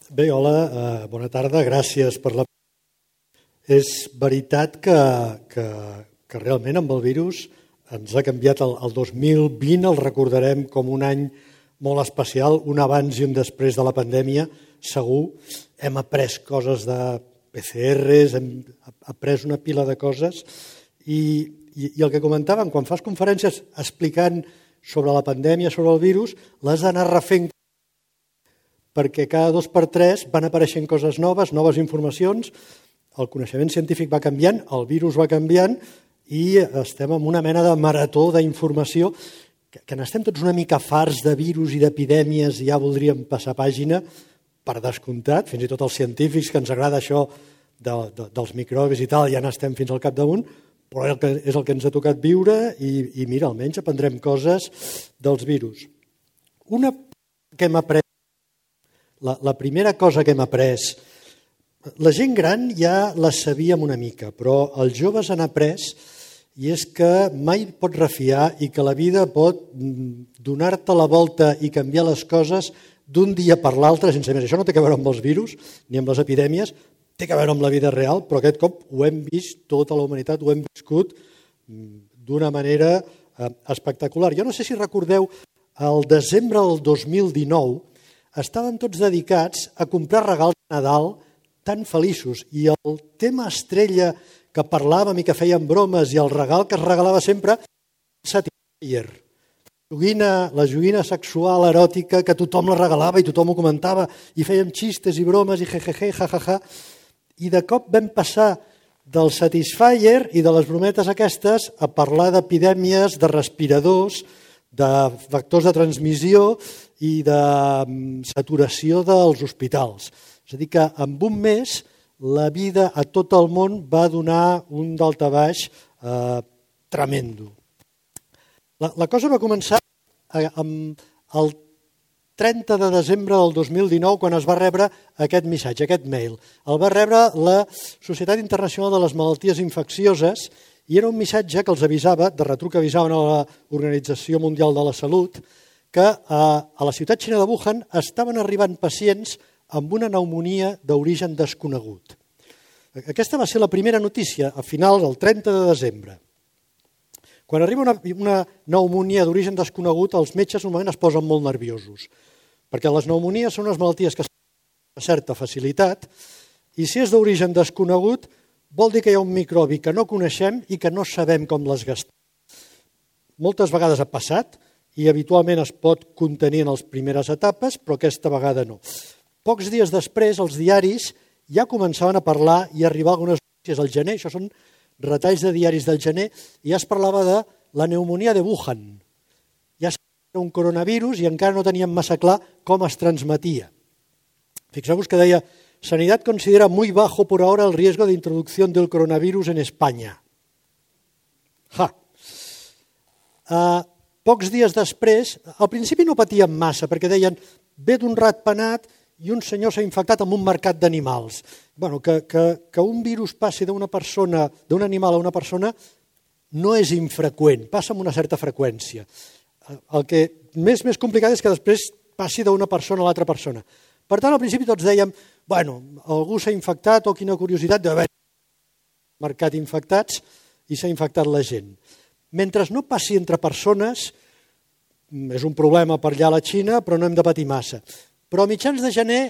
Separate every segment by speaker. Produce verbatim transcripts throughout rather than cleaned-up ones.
Speaker 1: Bé, hola, eh, bona tarda, gràcies per la... És veritat que, que, que realment amb el virus ens ha canviat el, el dos mil vint, el recordarem com un any molt especial, un abans i un després de la pandèmia, segur. Hem après coses de P C Rs, hem après una pila de coses i, i, i el que comentàvem, quan fas conferències explicant sobre la pandèmia, sobre el virus, l'has d'anar refent perquè cada dos per tres van apareixent coses noves, noves informacions, el coneixement científic va canviant, el virus va canviant i estem en una mena de marató d'informació que, que n'estem tots una mica farts de virus i d'epidèmies i ja voldríem passar pàgina, per descomptat, fins i tot els científics que ens agrada això de, de, dels microbis i tal, ja n'estem fins al capdamunt, però és el que, és el que ens ha tocat viure i, i mira, almenys aprendrem coses dels virus. Una que hem après La, la primera cosa que hem après, la gent gran ja la sabíem una mica, però els joves han après i és que mai pots refiar i que la vida pot donar-te la volta i canviar les coses d'un dia per l'altre sense més. Això no té a veure amb els virus ni amb les epidèmies, té a veure amb la vida real, però aquest cop ho hem vist, tota la humanitat ho hem viscut d'una manera espectacular. Jo no sé si recordeu, al desembre del dos mil dinou, estàvem tots dedicats a comprar regals de Nadal tan feliços i el tema estrella que parlàvem i que fèiem bromes i el regal que es regalava sempre, Satisfyer, la joguina sexual eròtica que tothom la regalava i tothom ho comentava i fèiem xistes i bromes i jejeje, jajaja, i de cop vam passar del Satisfyer i de les brometes aquestes a parlar d'epidèmies, de respiradors, de factors de transmissió i de saturació dels hospitals. És a dir, que en un mes la vida a tot el món va donar un daltabaix eh, tremendo. La, la cosa va començar amb el trenta de desembre del dos mil dinou, quan es va rebre aquest missatge, aquest mail. El va rebre la Societat Internacional de les Malalties Infeccioses i era un missatge que els avisava, de retruc avisaven a l'Organització Mundial de la Salut, que a la ciutat xina de Wuhan estaven arribant pacients amb una pneumònia d'origen desconegut. Aquesta va ser la primera notícia a finals del trenta de desembre. Quan arriba una, una pneumònia d'origen desconegut, els metges normalment es posen molt nerviosos, perquè les pneumonies són unes malalties que es fan amb certa facilitat i si és d'origen desconegut vol dir que hi ha un microbi que no coneixem i que no sabem com les gastem. Moltes vegades ha passat i habitualment es pot contenir en les primeres etapes, però aquesta vegada no. Pocs dies després, els diaris ja començaven a parlar i a arribar algunes notícies al gener, això són retalls de diaris del gener, i ja es parlava de la pneumònia de Wuhan. Ja era un coronavirus i encara no teníem massa clar com es transmetia. Fixeu-vos que deia: Sanidad considera muy bajo por ahora el riesgo de introducción del coronavirus en España. Ja. Uh, pocs dies després, al principi no patíem massa, perquè deien ve d'un ratpenat i un senyor s'ha infectat en un mercat d'animals. Bueno, que, que, que un virus passi d'una persona, d'un animal a una persona no és infreqüent, passa amb una certa freqüència. El que més, més complicat és que després passi d'una persona a l'altra persona. Per tant, al principi tots dèiem, bueno, algú s'ha infectat o quina curiositat d'haver mercat infectats i s'ha infectat la gent. Mentre no passi entre persones, és un problema per allà a la Xina, però no hem de patir massa. Però a mitjans de gener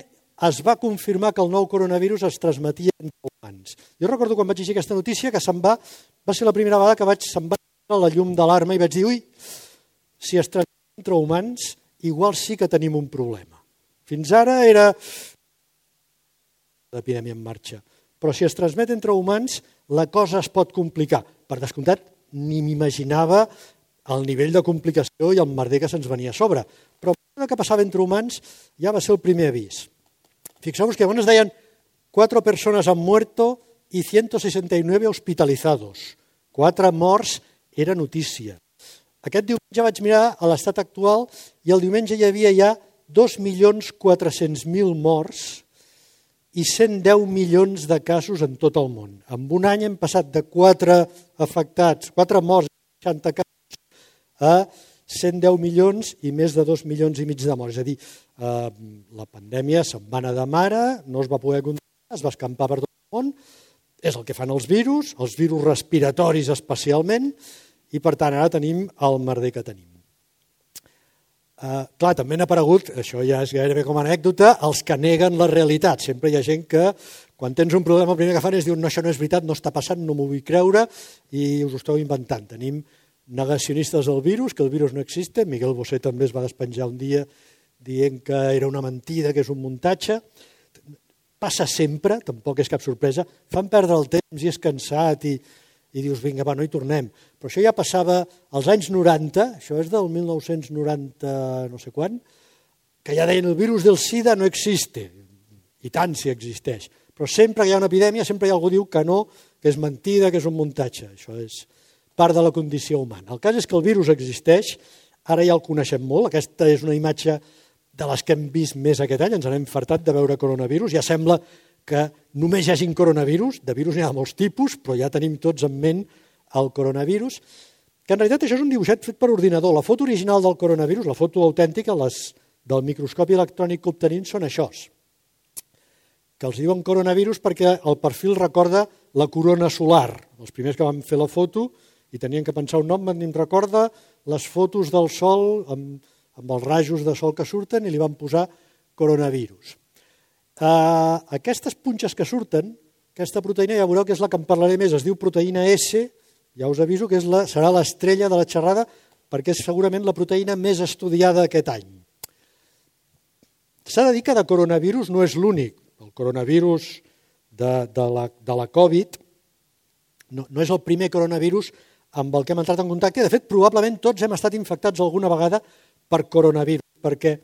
Speaker 1: es va confirmar que el nou coronavirus es transmetia entre humans. Jo recordo quan vaig llegir aquesta notícia que se'n va, va ser la primera vegada que vaig, se'n va a la llum d'alarma i vaig dir, ui, si es transmet entre humans, igual sí que tenim un problema. Fins ara era l'epidèmia en marxa, però si es transmet entre humans la cosa es pot complicar. Per descomptat, ni m'imaginava el nivell de complicació i el merder que se'ns venia a sobre, però el que passava entre humans ja va ser el primer avís. Fixeu-vos que llavors deien quatre persones han muerto i ciento sesenta y nueve hospitalizados. Quatre morts era notícia. Aquest diumenge vaig mirar a l'estat actual i el diumenge hi havia ja dos milions quatre-cents mil morts i cent deu milions de casos en tot el món. En un any hem passat de quatre afectats, quatre morts, seixanta casos, a cent deu milions i més de dos milions i mig de morts. És a dir, eh, la pandèmia se'n va anar de mare, no es va poder controlar, es va escampar per tot el món, és el que fan els virus, els virus respiratoris especialment, i per tant ara tenim el merder que tenim. Uh, clar, també han aparegut, això ja és gairebé com a anècdota, els que neguen la realitat. Sempre hi ha gent que, quan tens un problema, el primer que fan és dir no, això no és veritat, no està passant, no m'ho vull creure, i us ho esteu inventant. Tenim negacionistes del virus, que el virus no existe. Miguel Bosé també es va despenjar un dia dient que era una mentida, que és un muntatge. Passa sempre, tampoc és cap sorpresa. Fan perdre el temps i és cansat i... i dius, vinga, va, no hi tornem. Però això ja passava als anys noranta, això és del mil nou-cents noranta no sé quan, que ja deien el virus del SIDA no existe, i tant si existeix. Però sempre que hi ha una epidèmia, sempre hi ha algú que diu que no, que és mentida, que és un muntatge. Això és part de la condició humana. El cas és que el virus existeix, ara ja el coneixem molt, aquesta és una imatge de les que hem vist més aquest any, ens n'hem fartat de veure coronavirus, ja sembla que només hi hagi coronavirus, de virus n'hi ha molts tipus, però ja tenim tots en ment el coronavirus, que en realitat això és un dibuixet fet per ordinador. La foto original del coronavirus, la foto autèntica, les del microscopi electrònic que obtenim són això, que els diuen coronavirus perquè el perfil recorda la corona solar. Els primers que van fer la foto i tenien que pensar un nom, em recorda les fotos del sol amb, amb els rajos de sol que surten i li van posar coronavirus. Uh, aquestes punxes que surten, aquesta proteïna ja veureu que és la que en parlaré més, es diu proteïna S, ja us aviso que és la, serà l'estrella de la xerrada perquè és segurament la proteïna més estudiada aquest any. S'ha de dir que de coronavirus no és l'únic. El coronavirus de, de, la, de la Covid no, no és el primer coronavirus amb el que hem entrat en contacte. De fet, probablement tots hem estat infectats alguna vegada per coronavirus, perquè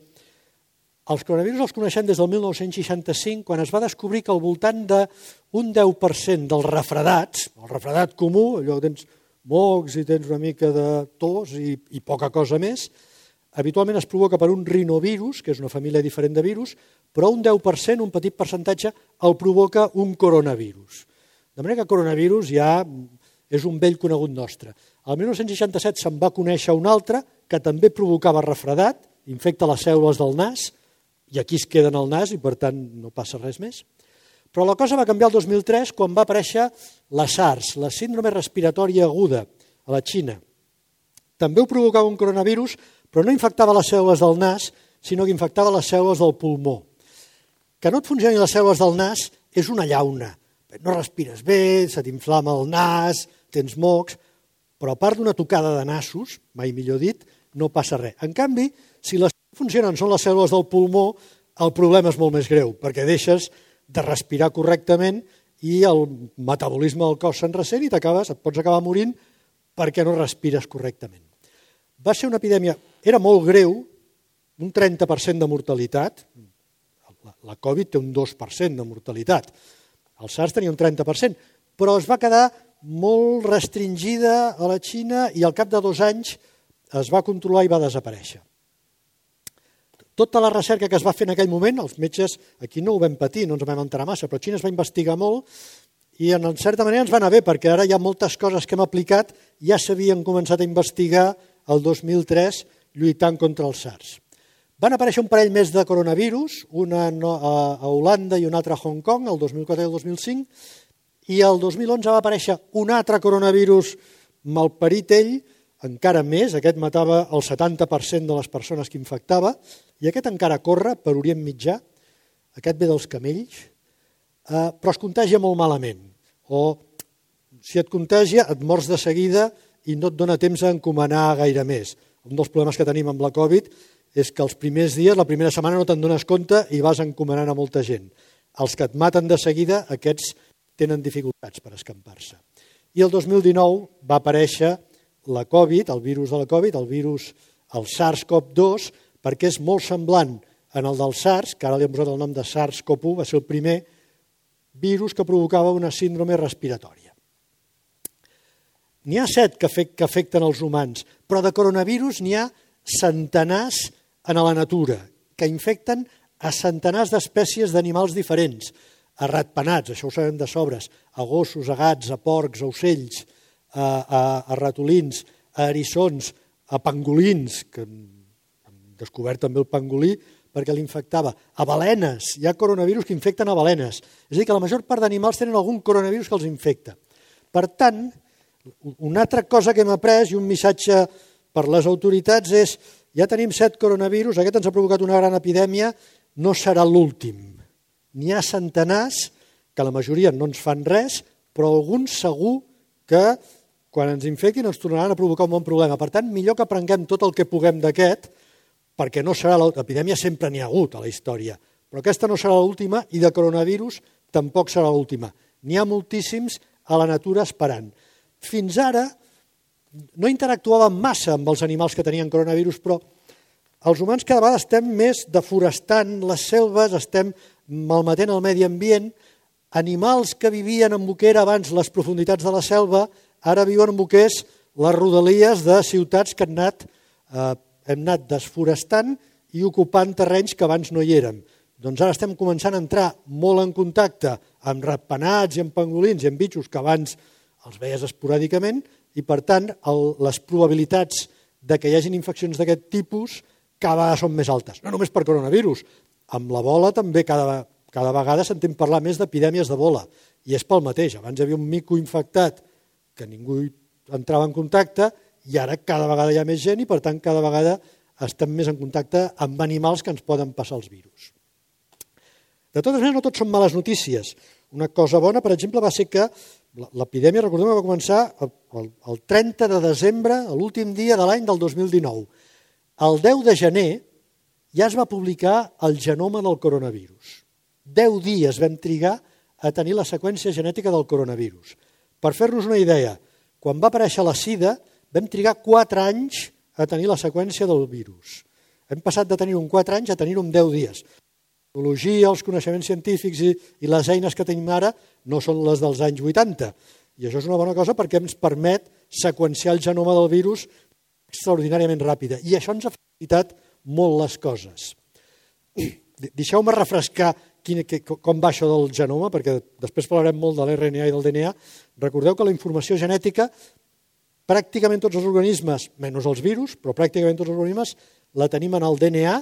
Speaker 1: els coronavirus els coneixem des del mil nou-cents seixanta-cinc, quan es va descobrir que al voltant d'un deu per cent dels refredats, el refredat comú, allò que tens mocs i tens una mica de tos i, i poca cosa més, habitualment es provoca per un rinovirus, que és una família diferent de virus, però un deu per cent, un petit percentatge, el provoca un coronavirus. De manera que coronavirus ja és un vell conegut nostre. El mil nou-cents seixanta-set se'n va conèixer un altre que també provocava refredat, infecta les cèl·lules del nas, i aquí es queda en el nas i per tant no passa res més. Però la cosa va canviar el dos mil tres quan va aparèixer la SARS, la síndrome respiratòria aguda, a la Xina. També ho provocava un coronavirus, però no infectava les cèl·lules del nas, sinó que infectava les cèl·lules del pulmó. Que no et funcionin les cèl·lules del nas és una llauna. No respires bé, se t'inflama el nas, tens mocs, però a part d'una tocada de nassos, mai millor dit, no passa res. En canvi, si les funcionen són les cèl·lules del pulmó, el problema és molt més greu, perquè deixes de respirar correctament i el metabolisme del cos se'n ressent i t'acabes, et pots acabar morint perquè no respires correctament. Va ser una epidèmia, era molt greu, un trenta per cent de mortalitat, la Covid té un dos per cent de mortalitat, el SARS tenia un trenta per cent, però es va quedar molt restringida a la Xina i al cap de dos anys es va controlar i va desaparèixer. Tota la recerca que es va fer en aquell moment, els metges, aquí no ho vam patir, no ens vam enterar massa, però a Xina es va investigar molt i en certa manera ens va anar bé, perquè ara hi ha moltes coses que hem aplicat, ja s'havien començat a investigar el dos mil tres lluitant contra el SARS. Van aparèixer un parell més de coronavirus, una a Holanda i un altre a Hong Kong, el dos mil quatre i el dos mil cinc, i el dos mil onze va aparèixer un altre coronavirus malparit ell, encara més, aquest matava el setanta per cent de les persones que infectava, i aquest encara corre per Orient Mitjà, aquest ve dels camells, eh, però es contagia molt malament. O si et contagia, et mors de seguida i no et dona temps a encomanar gaire més. Un dels problemes que tenim amb la Covid és que els primers dies, la primera setmana no te'n dones compte i vas encomanant a molta gent. Els que et maten de seguida, aquests tenen dificultats per escampar-se. I el dos mil dinou va aparèixer la Covid, el virus de la Covid, el virus, el SARS-CoV dos, perquè és molt semblant en el del SARS, que ara li hem posat el nom de SARS-CoV u, va ser el primer virus que provocava una síndrome respiratòria. N'hi ha set que afecten els humans, però de coronavirus n'hi ha centenars en la natura, que infecten a centenars d'espècies d'animals diferents, a ratpenats, això ho sabem de sobres, a gossos, a gats, a porcs, a ocells, a, a, a ratolins, a eriçons, a pangolins, que han descobert també el pangolí perquè l'infectava, a balenes, hi ha coronavirus que infecten a balenes. És a dir, que la major part d'animals tenen algun coronavirus que els infecta. Per tant, una altra cosa que hem après i un missatge per les autoritats és ja tenim set coronavirus, aquest ens ha provocat una gran epidèmia, no serà l'últim. N'hi ha centenars, que la majoria no ens fan res, però alguns segur que quan ens infectin ens tornaran a provocar un bon problema. Per tant, millor que aprenguem tot el que puguem d'aquest, perquè no serà l'epidèmia, sempre n'hi ha hagut a la història, però aquesta no serà l'última i de coronavirus tampoc serà l'última. N'hi ha moltíssims a la natura esperant. Fins ara no interactuàvem massa amb els animals que tenien coronavirus, però els humans cada vegada estem més deforestant les selves, estem malmetent el medi ambient. Animals que vivien en el que era abans les profunditats de la selva, ara viuen en el que és les rodalies de ciutats que han anat, eh, hem anat desforestant i ocupant terrenys que abans no hi érem. Doncs ara estem començant a entrar molt en contacte amb ratpenats i amb pangolins i amb bitxos que abans els veies esporàdicament i, per tant, el, les probabilitats de que hi hagin infeccions d'aquest tipus cada vegada són més altes. No només per coronavirus, amb l'ebola també cada, cada vegada sentim parlar més d'epidèmies d'ebola. I és pel mateix. Abans hi havia un mico infectat que ningú entrava en contacte i ara cada vegada hi ha més gent i, per tant, cada vegada estem més en contacte amb animals que ens poden passar els virus. De totes maneres, no tot són males notícies. Una cosa bona, per exemple, va ser que l'epidèmia, recordem, va començar el trenta de desembre, l'últim dia de l'any del dos mil dinou. El deu de gener ja es va publicar el genoma del coronavirus. Deu dies vam trigar a tenir la seqüència genètica del coronavirus. Per fer-nos una idea, quan va aparèixer la sida, vam trigar quatre anys a tenir la seqüència del virus. Hem passat de tenir-ho en quatre anys a tenir-ho en deu dies. La tecnologia, els coneixements científics i, i les eines que tenim ara no són les dels anys vuitanta. I això és una bona cosa perquè ens permet seqüenciar el genoma del virus extraordinàriament ràpida. I això ens ha facilitat molt les coses. Deixeu-me refrescar quin, que, com va això del genoma, perquè després parlarem molt de l'R N A i del D N A. Recordeu que la informació genètica, pràcticament tots els organismes, menys els virus, però pràcticament tots els organismes, la tenim en el D N A,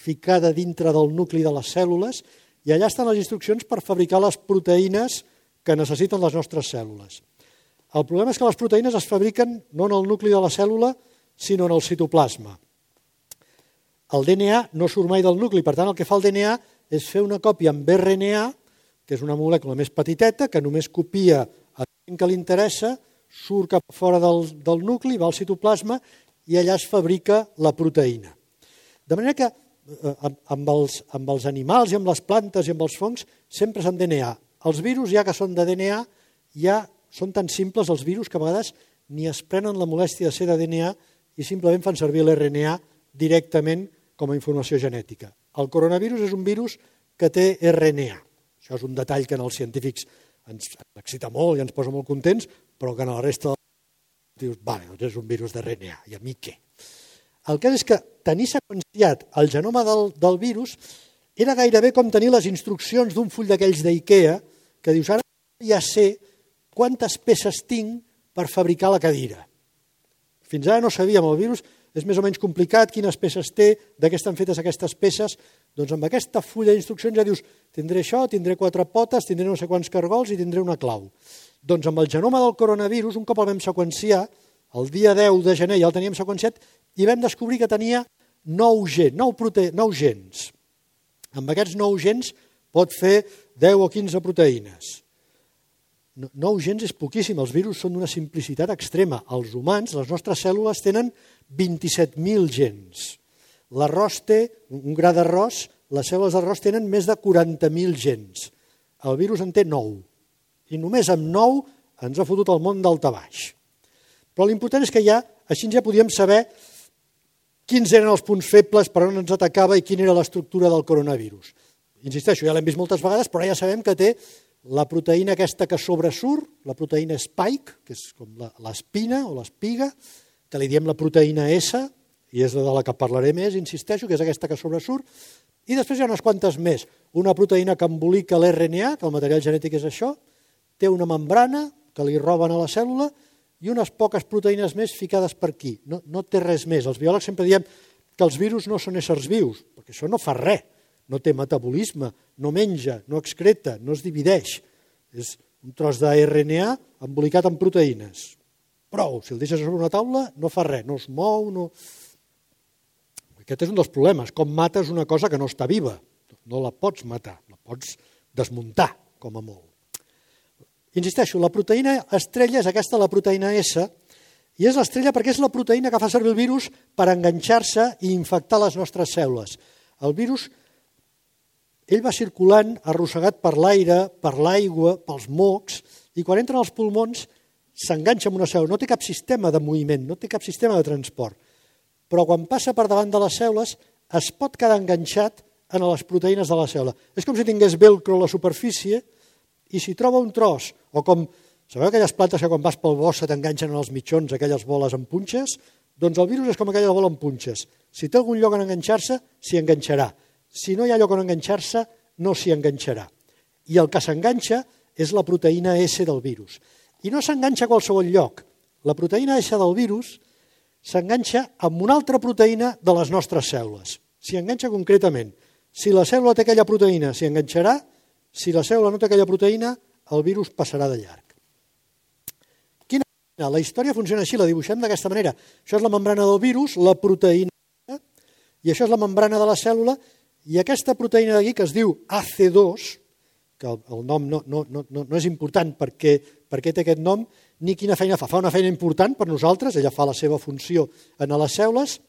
Speaker 1: ficada dintre del nucli de les cèl·lules, i allà estan les instruccions per fabricar les proteïnes que necessiten les nostres cèl·lules. El problema és que les proteïnes es fabriquen no en el nucli de la cèl·lula, sinó en el citoplasma. El D N A no surt mai del nucli, per tant, el que fa el D N A és fer una còpia amb R N A, que és una molècula més petiteta, que només copia el gen que li interessa, surt cap fora del, del nucli, va al citoplasma, i allà es fabrica la proteïna. De manera que amb els, amb els animals i amb les plantes i amb els fongs sempre és en D N A. Els virus, ja que són de D N A, ja són tan simples els virus que a vegades ni es prenen la molèstia de ser de D N A i simplement fan servir l'R N A directament com a informació genètica. El coronavirus és un virus que té R N A. Això és un detall que en els científics ens excita molt i ens posa molt contents, però que en la resta dius, vale, doncs és un virus d'R N A, i a mi què? El cas és que tenir seqüenciat el genoma del, del virus era gairebé com tenir les instruccions d'un full d'aquells d'IKEA que dius, ara ja sé quantes peces tinc per fabricar la cadira. Fins ara no sabíem, el virus és més o menys complicat, quines peces té, de què estan fetes aquestes peces. Doncs amb aquesta fulla d'instruccions ja dius, tindré això, tindré quatre potes, tindré no sé quants cargols i tindré una clau. Doncs amb el genoma del coronavirus, un cop el vam seqüenciar, el dia deu de gener ja el teníem seqüenciat i vam descobrir que tenia nou gens, nou, prote... nou gens. Amb aquests nou gens pot fer deu o quinze proteïnes. Nou gens és poquíssim, els virus són d'una simplicitat extrema. Els humans, les nostres cèl·lules, tenen vint-i-set mil gens. L'arròs té, un gra d'arròs, les cèl·lules d'arròs tenen més de quaranta mil gens. El virus en té nou. I només amb nou ens ha fotut el món daltabaix. Però l'important és que ja, així ja podíem saber quins eren els punts febles, per on ens atacava i quina era l'estructura del coronavirus. Insisteixo, ja l'hem vist moltes vegades, però ja sabem que té la proteïna aquesta que sobresurt, la proteïna spike, que és com l'espina o l'espiga, que li diem la proteïna S, i és de la que parlaré més, insisteixo, que és aquesta que sobresurt, i després hi ha unes quantes més. Una proteïna que embolica l'R N A, que el material genètic és això, té una membrana que li roben a la cèl·lula, i unes poques proteïnes més ficades per aquí. No, no té res més. Els biòlegs sempre diem que els virus no són éssers vius, perquè això no fa res. No té metabolisme, no menja, no excreta, no es divideix. És un tros d'A R N A embolicat en proteïnes. Prou, si el deixes sobre una taula no fa res, no es mou, no... Aquest és un dels problemes. Com mates una cosa que no està viva? No la pots matar, la pots desmuntar, com a molt. Insisteixo, la proteïna estrella és aquesta, la proteïna S, i és l'estrella perquè és la proteïna que fa servir el virus per enganxar-se i infectar les nostres cèl·lules. El virus, ell va circulant, arrossegat per l'aire, per l'aigua, pels mocs, i quan entra als pulmons s'enganxa amb una cèl·lula. No té cap sistema de moviment, no té cap sistema de transport. Però quan passa per davant de les cèl·lules es pot quedar enganxat en les proteïnes de la cèl·lula. És com si tingués velcro a la superfície i si troba un tros, o com, sabeu aquelles plantes que quan vas pel bosc se t'enganxen en els mitjons, aquelles boles amb punxes? Doncs el virus és com aquella bola amb punxes. Si té algun lloc on enganxar-se, s'hi enganxarà. Si no hi ha lloc on enganxar-se, no s'hi enganxarà. I el que s'enganxa és la proteïna S del virus. I no s'enganxa a qualsevol lloc. La proteïna S del virus s'enganxa amb una altra proteïna de les nostres cèl·lules. S'hi enganxa concretament. Si la cèl·lula té aquella proteïna, s'hi enganxarà. Si la cèl·lula no té aquella proteïna, el virus passarà de llarg. Quina manera? La història funciona així, la dibuixem d'aquesta manera. Això és la membrana del virus, la proteïna, i això és la membrana de la cèl·lula, i aquesta proteïna d'aquí, que es diu A C dos, que el, el nom no, no, no, no és important perquè, perquè té aquest nom, ni quina feina fa. Fa una feina important per nosaltres, ella fa la seva funció en les cèl·lules,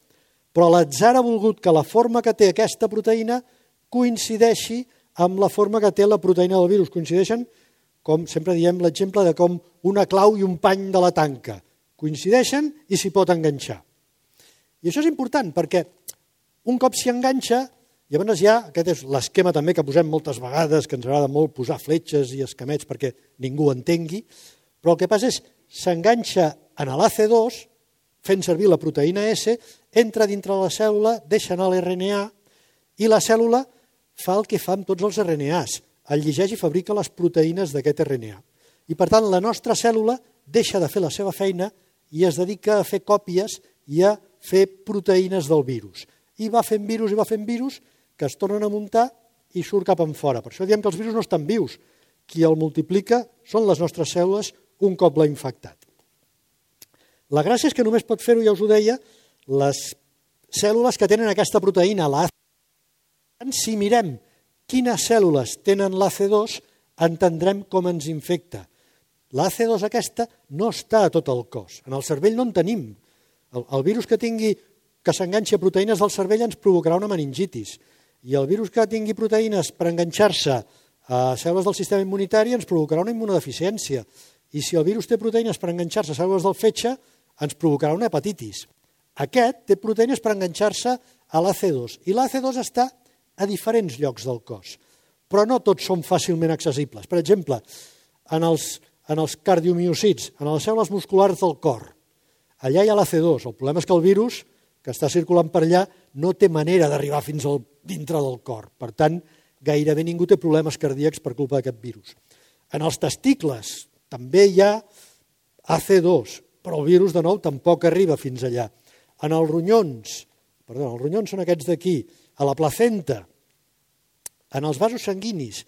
Speaker 1: però l'atzar ha volgut que la forma que té aquesta proteïna coincideixi amb la forma que té la proteïna del virus. Coincideixen, com sempre diem, l'exemple de com una clau i un pany de la tanca. Coincideixen i s'hi pot enganxar. I això és important perquè un cop s'hi enganxa, llavors ja, aquest és l'esquema també que posem moltes vegades, que ens agrada molt posar fletxes i esquemets perquè ningú entengui, però el que passa és s'enganxa en l'A C dos, fent servir la proteïna S, entra dintre la cèl·lula, deixa anar l'R N A i la cèl·lula fa el que fa amb tots els R N As, el llegeix i fabrica les proteïnes d'aquest R N A. I per tant la nostra cèl·lula deixa de fer la seva feina i es dedica a fer còpies i a fer proteïnes del virus. I va fent virus i va fent virus que es tornen a muntar i surt cap en fora. Per això diem que els virus no estan vius. Qui el multiplica són les nostres cèl·lules un cop l'ha infectat. La gràcia és que només pot fer-ho, ja us ho deia, les cèl·lules que tenen aquesta proteïna, l'A C dos. Si mirem quines cèl·lules tenen l'A C dos, entendrem com ens infecta. L'A C dos aquesta no està a tot el cos. En el cervell no en tenim. El, el virus que tingui que s'enganxi a proteïnes del cervell ens provocarà una meningitis. I el virus que tingui proteïnes per enganxar-se a cèl·lules del sistema immunitari ens provocarà una immunodeficiència. I si el virus té proteïnes per enganxar-se a cèl·lules del fetge, ens provocarà una hepatitis. Aquest té proteïnes per enganxar-se a l'A C dos. I l'A C dos està a diferents llocs del cos, però no tots són fàcilment accessibles. Per exemple, en els, en els cardiomiocits, en les cèl·lules musculars del cor, allà hi ha l'A C dos. El problema és que el virus que està circulant per allà no té manera d'arribar fins al dintre del cor. Per tant, gairebé ningú té problemes cardíacs per culpa d'aquest virus. En els testicles també hi ha A C dos, però el virus, de nou, tampoc arriba fins allà. En els ronyons, perdó, els ronyons són aquests d'aquí, a la placenta, en els vasos sanguinis,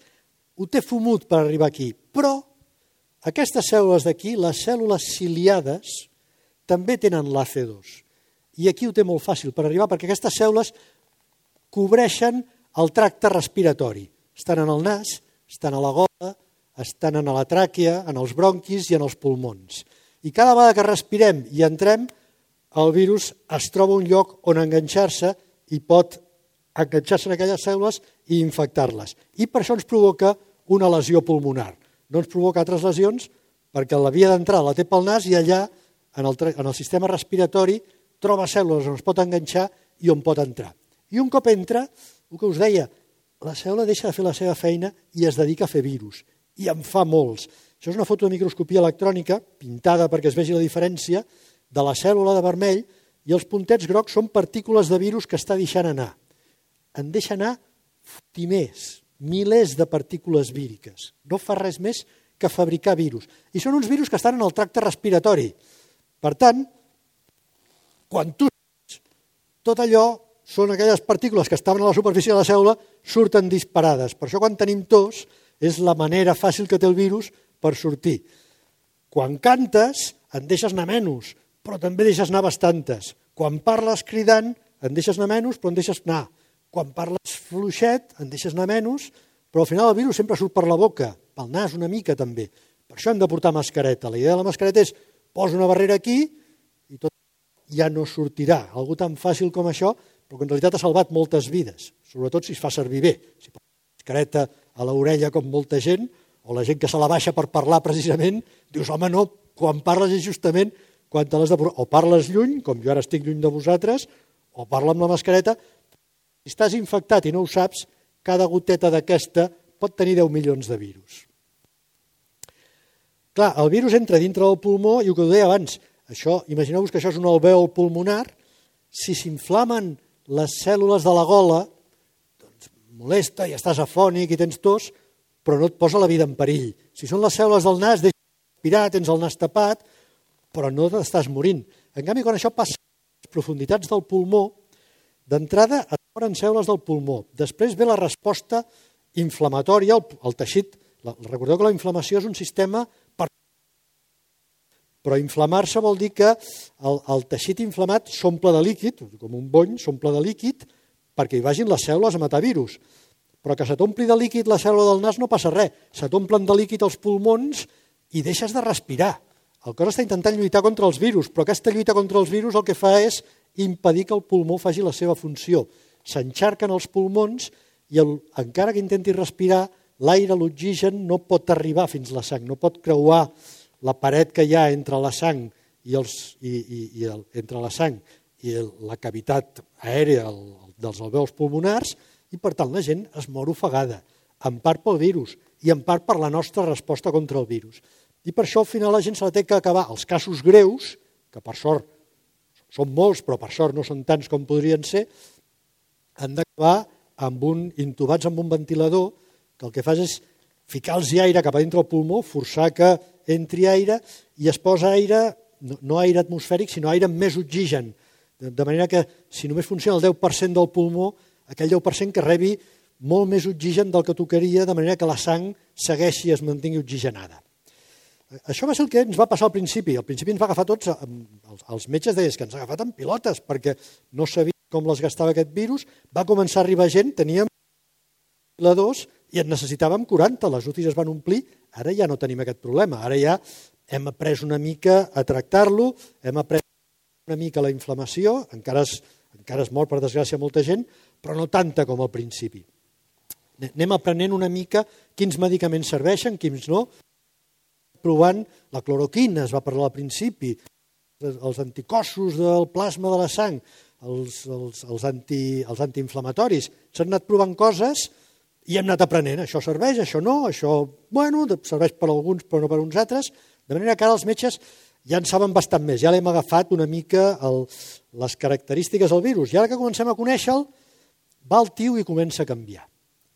Speaker 1: ho té fumut per arribar aquí, però aquestes cèl·lules d'aquí, les cèl·lules ciliades, també tenen l'A C dos. I aquí ho té molt fàcil per arribar, perquè aquestes cèl·lules cobreixen el tracte respiratori. Estan en el nas, estan a la gola, estan en la tràquea, en els bronquis i en els pulmons. I cada vegada que respirem i entrem, el virus es troba un lloc on enganxar-se i pot enganxar-se en aquelles cèl·lules i infectar-les. I per això ens provoca una lesió pulmonar. No ens provoca altres lesions perquè la via d'entrada la té pel nas i allà, en el, en el sistema respiratori, troba cèl·lules on es pot enganxar i on pot entrar. I un cop entra, el que us deia, la cèl·lula deixa de fer la seva feina i es dedica a fer virus. I en fa molts. Això és una foto de microscopia electrònica, pintada perquè es vegi la diferència, de la cèl·lula de vermell, i els puntets grocs són partícules de virus que està deixant anar. En deixa anar fotimers, milers de partícules víriques. No fa res més que fabricar virus. I són uns virus que estan en el tracte respiratori. Per tant, quan tu tot allò són aquelles partícules que estaven a la superfície de la cèl·lula, surten disparades. Per això quan tenim tos és la manera fàcil que té el virus per sortir. Quan cantes en deixes anar menys, però també deixes anar bastantes. Quan parles cridant en deixes anar menys, però en deixes anar. Quan parles fluixet en deixes anar menys, però al final el virus sempre surt per la boca, pel nas una mica també. Per això hem de portar mascareta. La idea de la mascareta és posa una barrera aquí i tot ja no sortirà. Algú tan fàcil com això, però que en realitat ha salvat moltes vides, sobretot si es fa servir bé. Si posa una mascareta a l'orella com molta gent, o la gent que se la baixa per parlar precisament, dius, home, no, quan parles és justament quan te l'has de posar. O parles lluny, com jo ara estic lluny de vosaltres, o parla amb la mascareta. Si estàs infectat i no ho saps, cada goteta d'aquesta pot tenir deu milions de virus. Clar, el virus entra dintre del pulmó i el que ho deia abans, això, imagineu-vos que això és un alvèol pulmonar, si s'inflamen les cèl·lules de la gola, doncs molesta i estàs afònic i tens tos, però no et posa la vida en perill. Si són les cèl·lules del nas, deixes respirar, tens el nas tapat, però no t'estàs morint. En canvi, quan això passa a les profunditats del pulmó, d'entrada et moren cèl·lules del pulmó. Després ve la resposta inflamatòria, el, el teixit. Recordeu que la inflamació és un sistema per... Però inflamar-se vol dir que el, el teixit inflamat s'omple de líquid, com un bony, s'omple de líquid, perquè hi vagin les cèl·lules a matar virus. Però que se t'ompli de líquid la cèl·lula del nas no passa res. Se t'omplen de líquid els pulmons i deixes de respirar. El cos està intentant lluitar contra els virus, però aquesta lluita contra els virus el que fa és impedir que el pulmó faci la seva funció. S'enxarquen els pulmons i el, encara que intenti respirar, l'aire, l'oxigen, no pot arribar fins a la sang, no pot creuar la paret que hi ha entre la sang i, els, i, i, i el, entre la sang i el, la cavitat aèrea el, dels alvèols pulmonars i, per tant, la gent es mor ofegada, en part pel virus i en part per la nostra resposta contra el virus. I per això, al final, la gent se la té que acabar. Els casos greus, que per sort són molts, però per sort no són tants com podrien ser, han d'acabar amb un, intubats amb un ventilador, que el que fas és ficar-los aire cap a dintre del pulmó, forçar que entri aire i es posa aire, no, no aire atmosfèric, sinó aire amb més oxigen. De, de manera que si només funciona el deu per cent del pulmó, aquell deu per cent que rebi molt més oxigen del que tocaria, de manera que la sang segueixi i es mantingui oxigenada. Això va ser el que ens va passar al principi. Al principi ens va agafar tots, els metges deien que ens ha agafat en pilotes perquè no sabia com les gastava aquest virus. Va començar a arribar gent, teníem ventiladors i en necessitàvem quaranta, les U C Is es van omplir, ara ja no tenim aquest problema, ara ja hem après una mica a tractar-lo, hem après una mica la inflamació, encara es, encara es mor per desgràcia molta gent, però no tanta com al principi. Anem aprenent una mica quins medicaments serveixen, quins no, provant la cloroquina, es va parlar al principi, els anticossos del plasma de la sang, els, els, els, anti, els antiinflamatoris, s'han anat provant coses i hem anat aprenent, això serveix, això no, això, bueno, serveix per alguns però no per uns altres, de manera que ara els metges ja en saben bastant més, ja l'hem agafat una mica el, les característiques del virus, i ara que comencem a conèixer-lo, va al tio i comença a canviar.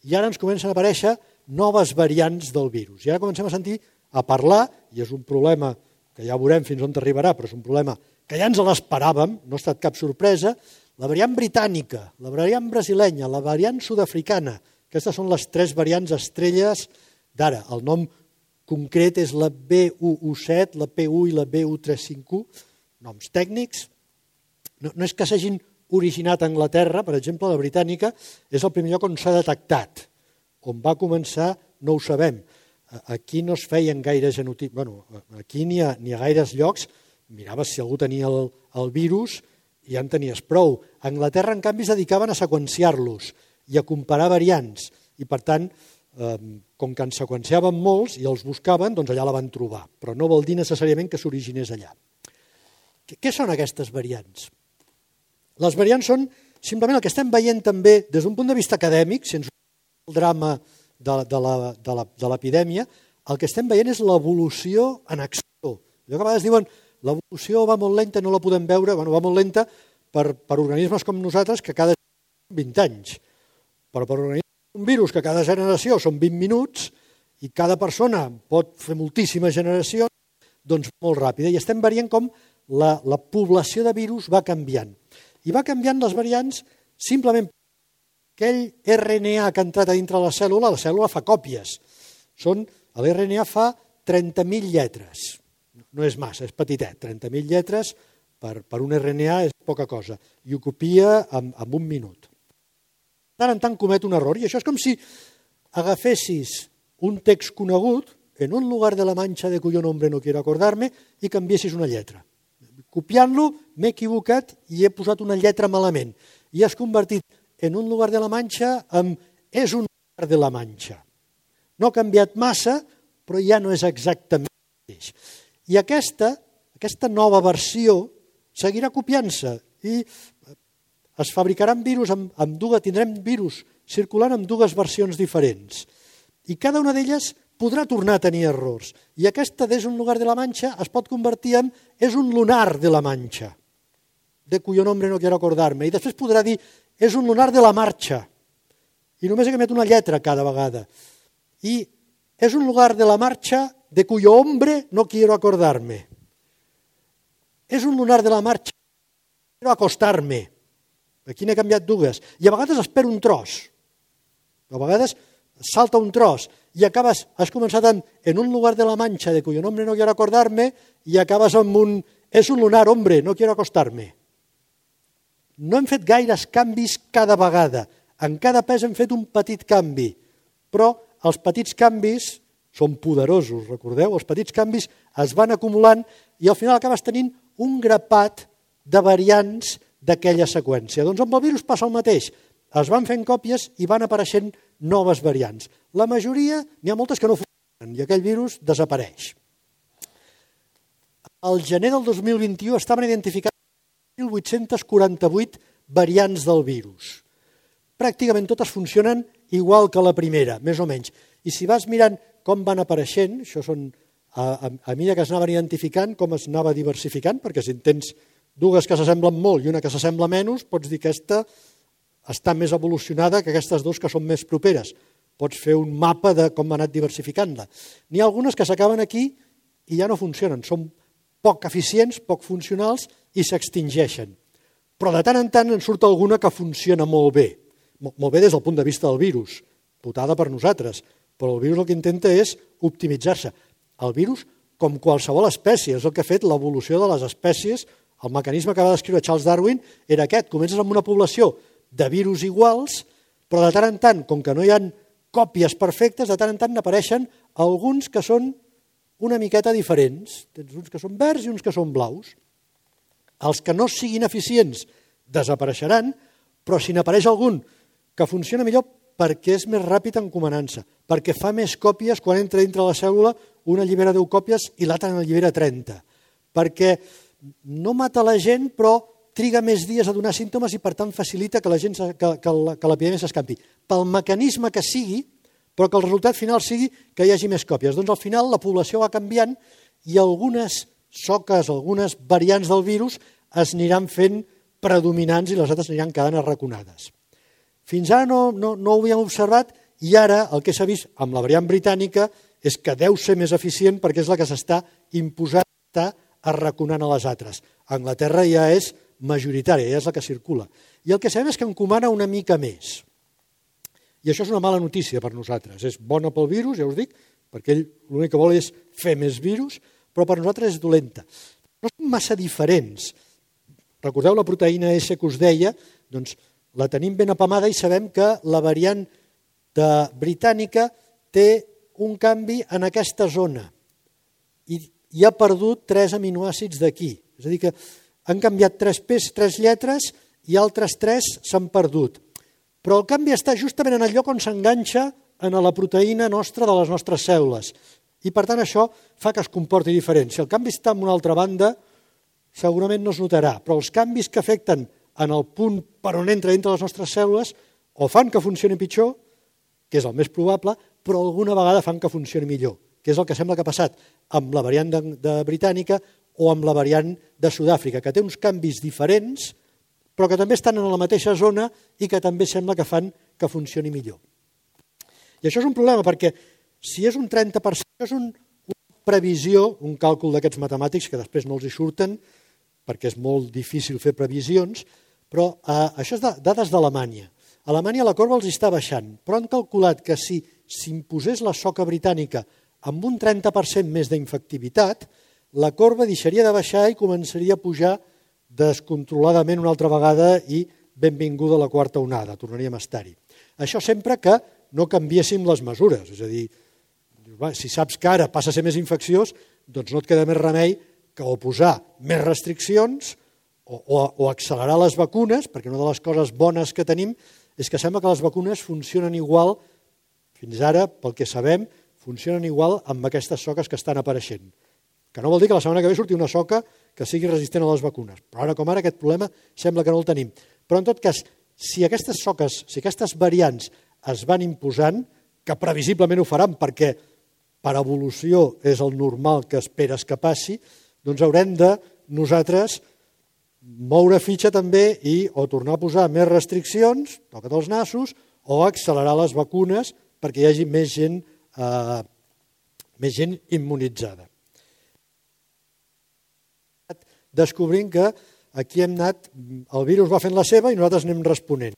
Speaker 1: I ara ens comencen a aparèixer noves variants del virus, i ara comencem a sentir, a parlar, i és un problema que ja veurem fins on arribarà, però és un problema que ja ens l'esperàvem, no ha estat cap sorpresa, la variant britànica, la variant brasilenya, la variant sud-africana, aquestes són les tres variants estrelles d'ara. El nom concret és la B U U set, la P u i la B U tres cinc u, noms tècnics. No, no és que s'hagin originat a Anglaterra, per exemple, la britànica és el primer lloc on s'ha detectat. On va començar no ho sabem. Aquí no es feien gaire genotips, bueno, aquí ni a, ni a gaires llocs miraves si algú tenia el, el virus i ja en tenies prou. A Anglaterra, en canvi, es dedicaven a seqüenciar-los i a comparar variants. I, per tant, eh, com que en seqüenciaven molts i els buscaven, doncs allà la van trobar. Però no vol dir necessàriament que s'originés allà. Què són aquestes variants? Les variants són simplement el que estem veient també des d'un punt de vista acadèmic, sense el drama de, de, la, de, la, de l'epidèmia, el que estem veient és l'evolució en acció. Allò que a vegades diuen l'evolució va molt lenta i no la podem veure, bueno, va molt lenta per, per organismes com nosaltres que cada vint anys, però per organismes un virus que cada generació són vint minuts i cada persona pot fer moltíssimes generacions, doncs molt ràpida. I estem veient com la, la població de virus va canviant. I va canviant les variants simplement perquè aquell erre ene a que ha entrat a dintre la cèl·lula, la cèl·lula fa còpies. Són, l'erre ene a fa trenta mil lletres. No és massa, és petitet. trenta mil lletres per, per un erre ene a és poca cosa. I ho copia en, en un minut. De tant en tant comet un error. I això és com si agafessis un text conegut, en un lugar de la mancha de cuyo nombre no quiero acordarme, i canviessis una lletra. Copiant-lo, m'he equivocat i he posat una lletra malament. I has convertit en un lugar de la mancha en és un lugar de la mancha. No ha canviat massa, però ja no és exactament el mateix. I aquesta, aquesta nova versió seguirà copiant-se i es fabricaran virus amb, amb dues, tindrem virus circulant amb dues versions diferents. I cada una d'elles podrà tornar a tenir errors. I aquesta d'és un lugar de la mancha es pot convertir en és un lunar de la mancha, de cuyo nombre no quiero acordarme. I després podrà dir és un lunar de la marxa. I només he canviat una lletra cada vegada. I és un lugar de la marcha de cuyo hombre no quiero acordarme. És un lunar de la marcha, quiero acostarme. Aquí n'he canviat dues. I a vegades espero un tros. A vegades salta un tros i acabes, has començat amb en un lugar de la mancha de cuyo nombre no quiero acordarme i acabes amb un és un lunar, hombre, no quiero acostarme. No hem fet gaires canvis cada vegada. En cada pes hem fet un petit canvi, però els petits canvis són poderosos, recordeu? Els petits canvis es van acumulant i al final acabes tenint un grapat de variants d'aquella seqüència. Doncs amb el virus passa el mateix. Es van fent còpies i van apareixent noves variants. La majoria, n'hi ha moltes que no funcionen i aquell virus desapareix. Al gener del dos mil vint-i-u estaven identificats mil vuit-cents quaranta-vuit variants del virus. Pràcticament totes funcionen igual que la primera, més o menys. I si vas mirant com van apareixent, això són a, a, a mesura que es anaven identificant, com es anava diversificant, perquè si en tens dues que s'assemblen molt i una que s'assembla menys, pots dir que aquesta està més evolucionada que aquestes dues que són més properes. Pots fer un mapa de com ha anat diversificant-la. N'hi ha algunes que s'acaben aquí i ja no funcionen, són poc eficients, poc funcionals i s'extingeixen. Però de tant en tant en surt alguna que funciona molt bé. Molt bé des del punt de vista del virus, putada per nosaltres, però el virus el que intenta és optimitzar-se. El virus, com qualsevol espècie, és el que ha fet l'evolució de les espècies. El mecanisme que va descriure Charles Darwin era aquest. Comences amb una població de virus iguals, però de tant en tant, com que no hi ha còpies perfectes, de tant en tant n'apareixen alguns que són una miqueta diferents. Tens uns que són verds i uns que són blaus. Els que no siguin eficients desapareixeran, però si n'apareix algun que funciona millor perquè és més ràpid encomanant-se, perquè fa més còpies quan entra dintre la cèl·lula, una allibera deu còpies i l'altra n'allibera trenta, perquè no mata la gent però triga més dies a donar símptomes i per tant facilita que la gent que, que, que l'epidèmia s'escampi. Pel mecanisme que sigui, però que el resultat final sigui que hi hagi més còpies. Doncs al final la població va canviant i algunes soques, algunes variants del virus es aniran fent predominants i les altres aniran quedant arraconades. Fins ara no, no, no ho havíem observat i ara el que s'ha vist amb la variant britànica és que deu ser més eficient perquè és la que s'està imposant, està arraconant a les altres. A Anglaterra ja és majoritària, ja és la que circula. I el que sabem és que encomana una mica més. I això és una mala notícia per nosaltres. És bona pel virus, ja us dic, perquè ell l'únic que vol és fer més virus, però per nosaltres és dolenta. No són massa diferents. Recordeu la proteïna S que us deia? Doncs la tenim ben apamada i sabem que la variant de britànica té un canvi en aquesta zona i, i ha perdut tres aminoàcids d'aquí. És a dir, que han canviat tres pes, tres lletres i altres tres s'han perdut. Però el canvi està justament en el lloc on s'enganxa en la proteïna nostra de les nostres cèl·lules. I per tant això fa que es comporti diferent. Si el canvi està en una altra banda, segurament no es notarà, però els canvis que afecten en el punt per on entra dintre les nostres cèl·lules o fan que funcioni pitjor, que és el més probable, però alguna vegada fan que funcioni millor, que és el que sembla que ha passat amb la variant de, de britànica o amb la variant de Sud-àfrica, que té uns canvis diferents, però que també estan en la mateixa zona i que també sembla que fan que funcioni millor. I això és un problema, perquè si és un trenta per cent, és un, una previsió, un càlcul d'aquests matemàtics que després no els hi surten, perquè és molt difícil fer previsions, però eh, això és de, dades d'Alemanya. A Alemanya la corba els està baixant, però han calculat que si s'imposés la soca britànica amb un trenta per cent més d'infectivitat, la corba deixaria de baixar i començaria a pujar descontroladament una altra vegada i benvinguda a la quarta onada, tornaríem a estar-hi. Això sempre que no canviéssim les mesures, és a dir, si saps que ara passa a ser més infecciós, doncs no et queda més remei que o posar més restriccions o, o, o accelerar les vacunes, perquè una de les coses bones que tenim és que sembla que les vacunes funcionen igual, fins ara, pel que sabem, funcionen igual amb aquestes soques que estan apareixent. Que no vol dir que la setmana que ve surti una soca que sigui resistent a les vacunes. Però ara com ara aquest problema sembla que no el tenim. Però en tot cas, si aquestes soques, si aquestes variants es van imposant, que previsiblement ho faran perquè per evolució és el normal que esperes que passi, doncs haurem de nosaltres moure fitxa també i o tornar a posar més restriccions, toca't els nassos, o accelerar les vacunes perquè hi hagi més gent, eh, més gent immunitzada. Descobrint que aquí hem anat, el virus va fent la seva i nosaltres anem responent.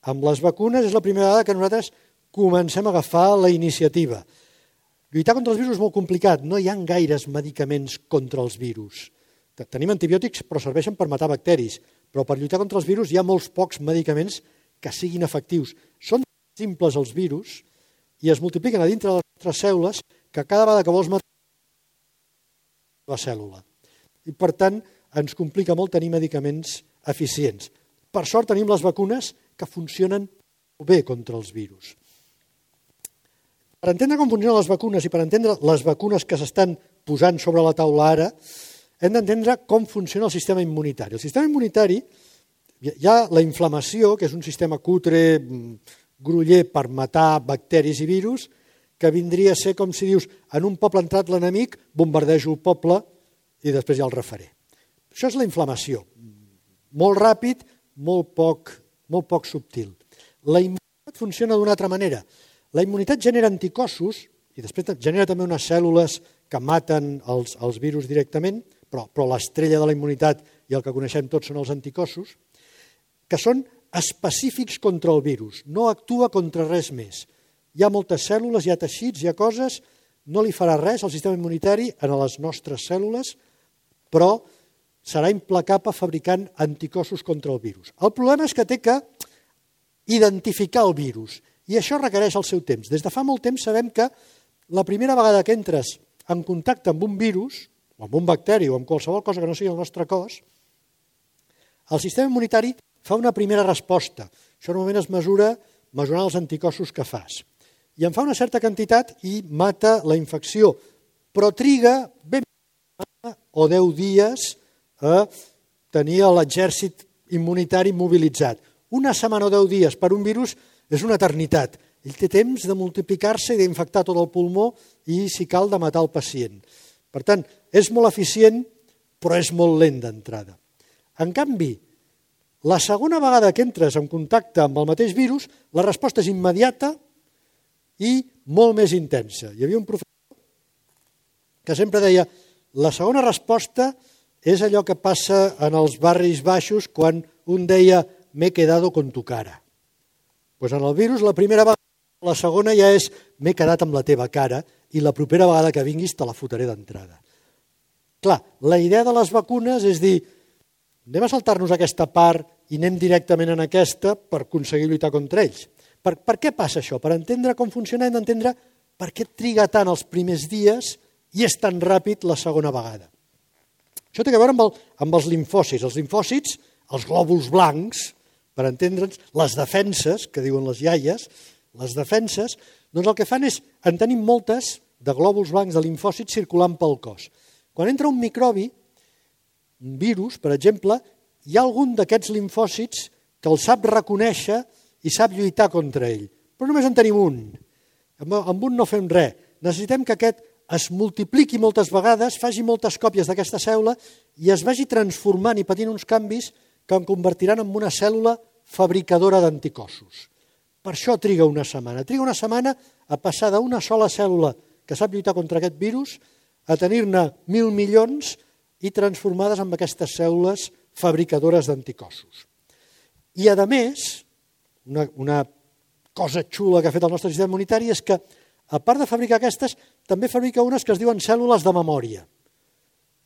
Speaker 1: Amb les vacunes és la primera vegada que nosaltres comencem a agafar la iniciativa. Lluitar contra els virus és molt complicat, no hi ha gaires medicaments contra els virus. Tenim antibiòtics però serveixen per matar bacteris, però per lluitar contra els virus hi ha molts pocs medicaments que siguin efectius. Són simples els virus i es multipliquen a dintre de les nostres cèl·lules que cada vegada que vols matar la cèl·lula. I per tant ens complica molt tenir medicaments eficients. Per sort tenim les vacunes que funcionen bé contra els virus. Per entendre com funcionen les vacunes i per entendre les vacunes que s'estan posant sobre la taula ara, hem d'entendre com funciona el sistema immunitari. El sistema immunitari, hi ha la inflamació, que és un sistema cutre, groller per matar bacteris i virus, que vindria a ser com si dius, en un poble ha entrat l'enemic, bombardejo el poble i després ja el refaré. Això és la inflamació. Molt ràpid, molt poc, molt poc subtil. La immunitat funciona d'una altra manera. La immunitat genera anticossos i després genera també unes cèl·lules que maten els, els virus directament, però, però l'estrella de la immunitat i el que coneixem tots són els anticossos, que són específics contra el virus, no actua contra res més. Hi ha moltes cèl·lules, hi ha teixits, hi ha coses, no li farà res al sistema immunitari a les nostres cèl·lules, però serà implacable fabricant anticossos contra el virus. El problema és que té que identificar el virus i això requereix el seu temps. Des de fa molt temps sabem que la primera vegada que entres en contacte amb un virus, o amb un bacteri o amb qualsevol cosa que no sigui el nostre cos, el sistema immunitari fa una primera resposta. Això normalment es mesura mesurant els anticossos que fas. I en fa una certa quantitat i mata la infecció, però triga ben o deu dies a tenir l'exèrcit immunitari mobilitzat. Una setmana o deu dies per un virus és una eternitat. Ell té temps de multiplicar-se i d'infectar tot el pulmó i, si cal, de matar el pacient. Per tant, és molt eficient, però és molt lent d'entrada. En canvi, la segona vegada que entres en contacte amb el mateix virus, la resposta és immediata i molt més intensa. Hi havia un professor que sempre deia la segona resposta és allò que passa en els barris baixos quan un deia m'he quedado con tu cara. Pues en el virus la primera vegada, la segona ja és m'he quedat amb la teva cara i la propera vegada que vinguis te la fotré d'entrada. Clar, la idea de les vacunes és dir anem a saltar-nos aquesta part i anem directament en aquesta per aconseguir lluitar contra ells. Per, per què passa això? Per entendre com funciona hem d'entendre per què triga tant els primers dies i és tan ràpid la segona vegada. Això té a veure amb, el, amb els limfòcits. Els limfòcits, els glòbuls blancs, per entendre'ns, les defenses, que diuen les iaies, les defenses, doncs el que fan és, en tenim moltes de glòbuls blancs de limfòcits circulant pel cos. Quan entra un microbi, un virus, per exemple, hi ha algun d'aquests limfòcits que el sap reconèixer i sap lluitar contra ell. Però només en tenim un. Amb un no fem res. Necessitem que aquest es multipliqui moltes vegades, faci moltes còpies d'aquesta cèl·lula i es vagi transformant i patint uns canvis que en convertiran en una cèl·lula fabricadora d'anticossos. Per això triga una setmana. Triga una setmana a passar d'una sola cèl·lula que sap lluitar contra aquest virus a tenir-ne mil milions i transformades en aquestes cèl·lules fabricadores d'anticossos. I, a més, una, una cosa xula que ha fet el nostre sistema immunitari és que, a part de fabricar aquestes, també fabrica unes que es diuen cèl·lules de memòria,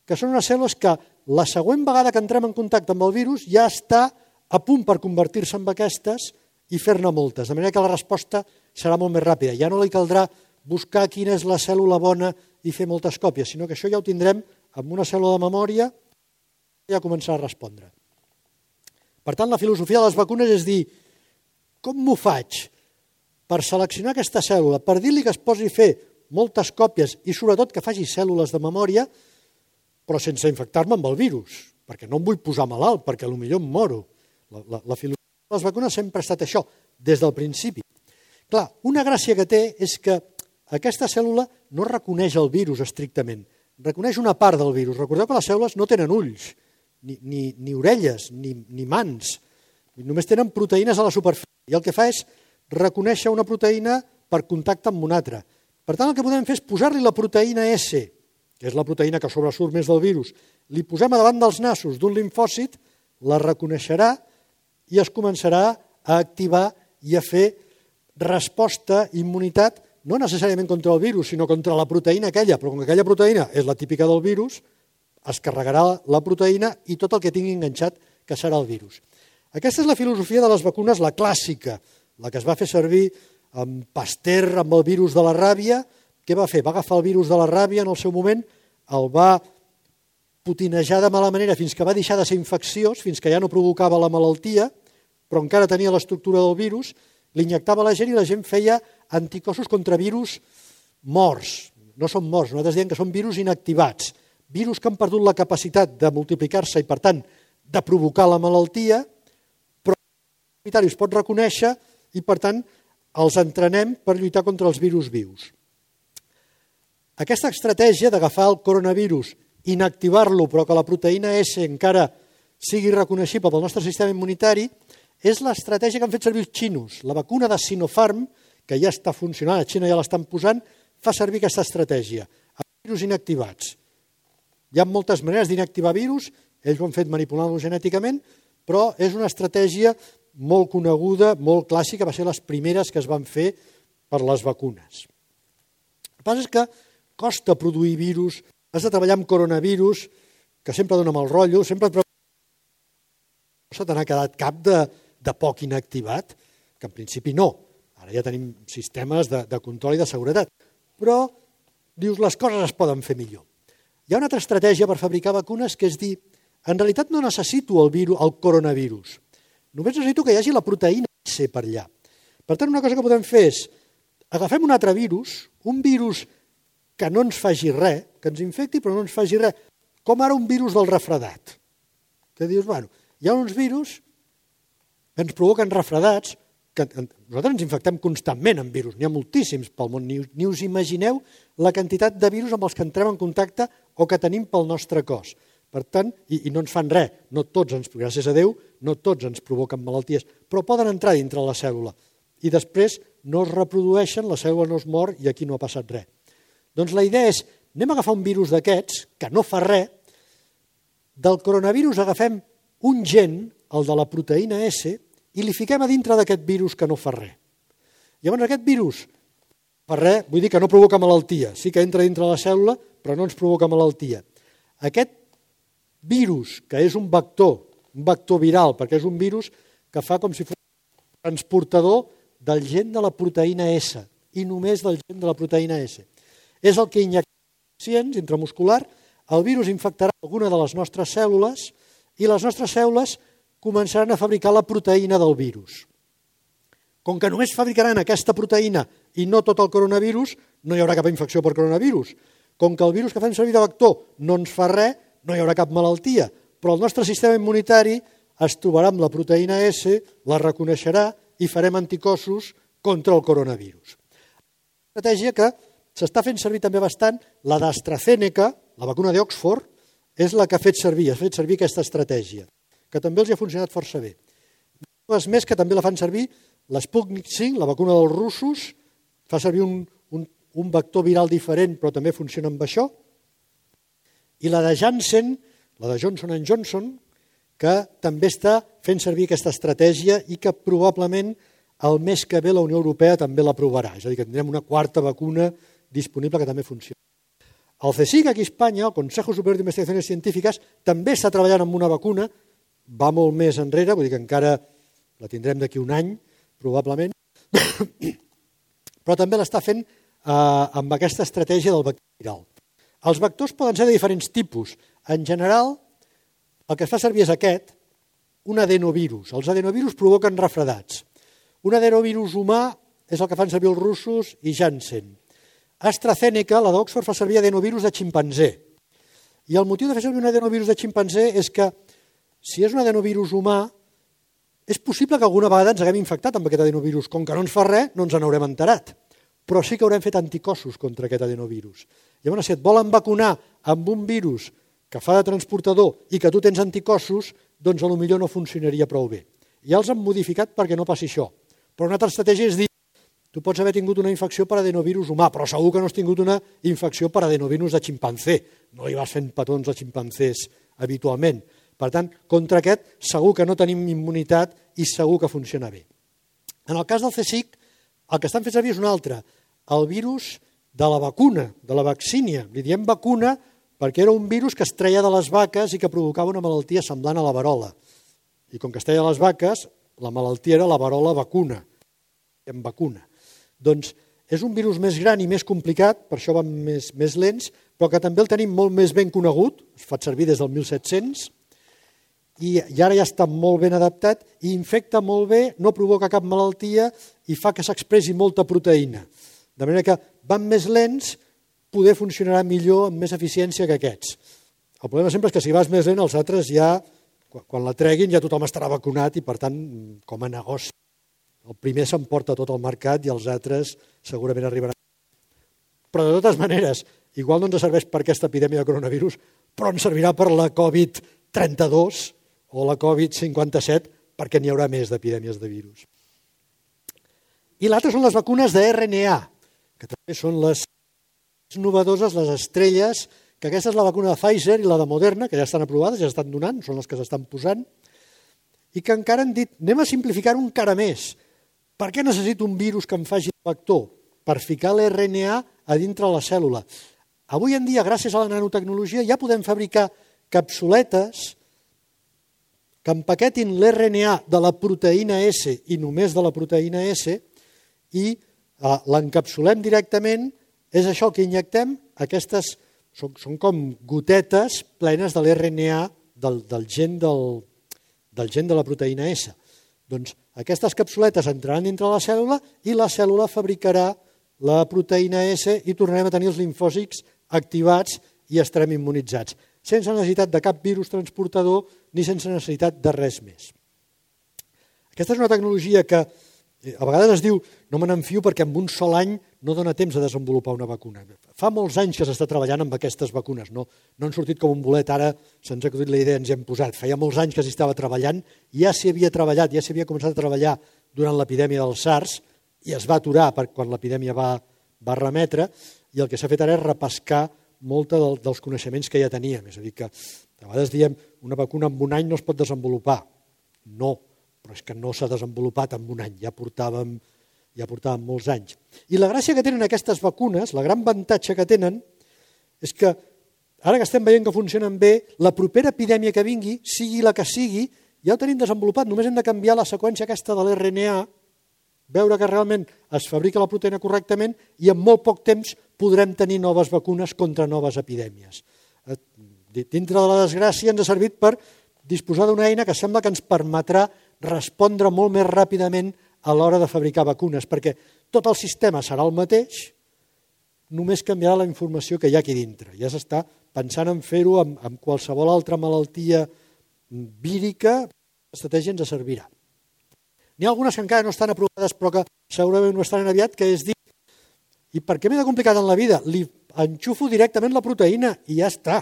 Speaker 1: que són unes cèl·lules que la següent vegada que entrem en contacte amb el virus ja està a punt per convertir-se en aquestes i fer-ne moltes, de manera que la resposta serà molt més ràpida. Ja no li caldrà buscar quina és la cèl·lula bona i fer moltes còpies, sinó que això ja ho tindrem amb una cèl·lula de memòria i ja començarà a respondre. Per tant, la filosofia de les vacunes és dir, com m'ho faig per seleccionar aquesta cèl·lula, per dir-li que es posi a fer moltes còpies i sobretot que faci cèl·lules de memòria, però sense infectar-me amb el virus, perquè no em vull posar malalt, perquè potser em moro. La, la, la filosofia de les vacunes sempre ha estat això, des del principi. Clar, una gràcia que té és que aquesta cèl·lula no reconeix el virus estrictament, reconeix una part del virus. Recordeu que les cèl·lules no tenen ulls, ni, ni, ni orelles, ni, ni mans, només tenen proteïnes a la superfície, i el que fa és reconèixer una proteïna per contacte amb una altra. Per tant, el que podem fer és posar-li la proteïna S, que és la proteïna que sobresurt més del virus, li posem a davant dels nassos d'un limfòcit, la reconeixerà i es començarà a activar i a fer resposta, immunitat, no necessàriament contra el virus, sinó contra la proteïna aquella, però com que aquella proteïna és la típica del virus, es carregarà la proteïna i tot el que tingui enganxat que serà el virus. Aquesta és la filosofia de les vacunes, la clàssica, la que es va fer servir amb Pasteur, amb el virus de la ràbia. Què va fer? Va agafar el virus de la ràbia en el seu moment, el va putinejar de mala manera fins que va deixar de ser infecciós, fins que ja no provocava la malaltia, però encara tenia l'estructura del virus, l'injectava a la gent i la gent feia anticossos contra virus morts. No són morts, nosaltres diem que són virus inactivats, virus que han perdut la capacitat de multiplicar-se i, per tant, de provocar la malaltia, però el es pot reconèixer i, per tant, els entrenem per lluitar contra els virus vius. Aquesta estratègia d'agafar el coronavirus, inactivar-lo, però que la proteïna S encara sigui reconeixible pel nostre sistema immunitari, és l'estratègia que han fet servir els xinos. La vacuna de Sinopharm, que ja està funcionant, a Xina ja l'estan posant, fa servir aquesta estratègia, amb virus inactivats. Hi ha moltes maneres d'inactivar virus, ells ho han fet manipulant-lo genèticament, però és una estratègia molt coneguda, molt clàssica, va ser les primeres que es van fer per les vacunes. El que passa és que costa produir virus, has de treballar amb coronavirus, que sempre dona mal rotllo, sempre et no se te n'ha quedat cap de, de poc inactivat, que en principi no. Ara ja tenim sistemes de, de control i de seguretat. Però, dius, les coses es poden fer millor. Hi ha una altra estratègia per fabricar vacunes que és dir, en realitat no necessito el, virus, el coronavirus, només necessito que hi hagi la proteïna S per allà. Per tant, una cosa que podem fer és, agafem un altre virus, un virus que no ens faci res, que ens infecti però no ens faci res, com ara un virus del refredat. Que dius, bueno, hi ha uns virus que ens provoquen refredats, que nosaltres ens infectem constantment amb virus, n'hi ha moltíssims pel món, ni, ni us imagineu la quantitat de virus amb els que entrem en contacte o que tenim pel nostre cos. Per tant, i, i no ens fan res, no tots ens, gràcies a Déu, no tots ens provoquen malalties, però poden entrar dintre la cèl·lula i després no es reprodueixen, la cèl·lula no es mor i aquí no ha passat res. Doncs la idea és, anem a agafar un virus d'aquests, que no fa res, del coronavirus agafem un gen, el de la proteïna S, i li fiquem a dintre d'aquest virus que no fa res. Llavors aquest virus fa res, vull dir que no provoca malaltia, sí que entra dintre la cèl·lula, però no ens provoca malaltia. Aquest virus, que és un vector, un vector viral, perquè és un virus que fa com si fos un transportador del gen de la proteïna S, i només del gen de la proteïna S. És el que injectem pacients intramuscular, el virus infectarà alguna de les nostres cèl·lules i les nostres cèl·lules començaran a fabricar la proteïna del virus. Com que només fabricaran aquesta proteïna i no tot el coronavirus, no hi haurà cap infecció per coronavirus. Com que el virus que fem servir de vector no ens fa res, no hi haurà cap malaltia, però el nostre sistema immunitari es trobarà amb la proteïna S, la reconeixerà i farem anticossos contra el coronavirus. Una estratègia que s'està fent servir també bastant, la d'AstraZeneca, la vacuna d'Oxford, és la que ha fet servir, ha fet servir aquesta estratègia, que també els ha funcionat força bé. Dues més que també la fan servir, l'Sputnik cinc, la vacuna dels russos, fa servir un, un, un vector viral diferent, però també funciona amb això. I la de Janssen, la de Johnson and Johnson, que també està fent servir aquesta estratègia i que probablement el mes que ve la Unió Europea també l'aprovarà. És a dir, que tindrem una quarta vacuna disponible que també funciona. El CSIC aquí a Espanya, el Consejo Superior de Investigaciones Científiques, també està treballant amb una vacuna, va molt més enrere, vull dir que encara la tindrem d'aquí un any, probablement, però també l'està fent eh, amb aquesta estratègia del vector viral. Els vectors poden ser de diferents tipus. En general, el que es fa servir és aquest, un adenovirus. Els adenovirus provoquen refredats. Un adenovirus humà és el que fan servir els russos i Janssen. AstraZeneca, la d'Oxford, fa servir adenovirus de ximpanzé. I el motiu de fer servir un adenovirus de ximpanzé és que, si és un adenovirus humà, és possible que alguna vegada ens haguem infectat amb aquest adenovirus. Com que no ens fa res, no ens n'haurem enterat. Però sí que haurem fet anticossos contra aquest adenovirus. Llavors, si et volen vacunar amb un virus que fa de transportador i que tu tens anticossos, doncs potser no funcionaria prou bé. Ja els han modificat perquè no passi això. Però una altra estratègia és dir, tu pots haver tingut una infecció per adenovirus humà, però segur que no has tingut una infecció per adenovirus de ximpanzé. No hi vas fent petons de ximpanzés habitualment. Per tant, contra aquest segur que no tenim immunitat i segur que funciona bé. En el cas del CSIC, el que estan fent servir és un altre, el virus de la vacuna, de la vaccínia. Li diem vacuna perquè era un virus que es treia de les vaques i que provocava una malaltia semblant a la verola. I com que es treia de les vaques, la malaltia era la verola vacuna. En vacuna. Doncs és un virus més gran i més complicat, per això van més, més lents, però que també el tenim molt més ben conegut, es fa servir des del mil set-cents, i, i ara ja està molt ben adaptat i infecta molt bé, no provoca cap malaltia i fa que s'expressi molta proteïna. De manera que van més lents, poder funcionarà millor amb més eficiència que aquests. El problema sempre és que si vas més lent, els altres ja, quan la treguin, ja tothom estarà vacunat i, per tant, com a negoci, el primer s'emporta tot el mercat i els altres segurament arribaran. Però de totes maneres, igual no ens serveix per aquesta epidèmia de coronavirus, però ens servirà per la covid trenta-dos o la covid cinquanta-set perquè n'hi haurà més d'epidèmies de virus. I l'altre són les vacunes de erre ena a, que també són les novedoses, les estrelles, que aquesta és la vacuna de Pfizer i la de Moderna, que ja estan aprovades, ja estan donant, són les que s'estan posant, i que encara han dit, anem a simplificar-ho encara més. Per què necessito un virus que em faci el vector? Per ficar l'erre ena a a dintre la cèl·lula. Avui en dia, gràcies a la nanotecnologia, ja podem fabricar capsuletes que empaquetin l'erre ena a de la proteïna S i només de la proteïna S i eh, l'encapsulem directament. És això que injectem, aquestes són, són com gotetes plenes de l'erre ena a del, del, gen del, del gen de la proteïna S. Doncs aquestes capsuletes entraran dintre la cèl·lula i la cèl·lula fabricarà la proteïna S i tornarem a tenir els limfòcits activats i estarem immunitzats, sense necessitat de cap virus transportador ni sense necessitat de res més. Aquesta és una tecnologia que a vegades es diu no me n'enfio perquè en un sol any no dona temps de desenvolupar una vacuna. Fa molts anys que s'està treballant amb aquestes vacunes, no, no han sortit com un bolet, ara se'ns ha acudit la idea i ens hem posat. Feia molts anys que s'hi estava treballant, ja s'hi havia treballat, ja s'hi havia començat a treballar durant l'epidèmia del SARS i es va aturar quan l'epidèmia va, va remetre i el que s'ha fet ara és repescar molt del, dels coneixements que ja teníem. És a dir, que a vegades diem una vacuna en un any no es pot desenvolupar. No, però és que no s'ha desenvolupat en un any, ja portàvem, ja portàvem molts anys. I la gràcia que tenen aquestes vacunes, la gran avantatge que tenen, és que ara que estem veient que funcionen bé, la propera epidèmia que vingui, sigui la que sigui, ja ho tenim desenvolupat, només hem de canviar la seqüència aquesta de l'erre ena a, veure que realment es fabrica la proteïna correctament i en molt poc temps podrem tenir noves vacunes contra noves epidèmies. Dintre de la desgràcia ens ha servit per disposar d'una eina que sembla que ens permetrà respondre molt més ràpidament a l'hora de fabricar vacunes, perquè tot el sistema serà el mateix, només canviarà la informació que hi ha aquí dintre. Ja s'està pensant en fer-ho amb, amb qualsevol altra malaltia vírica, l'estratègia ens servirà. N'hi ha algunes que encara no estan aprovades, però que segurament no estaran aviat, que és dir, i per què m'he de complicar tant la vida? Li enxufo directament la proteïna i ja està.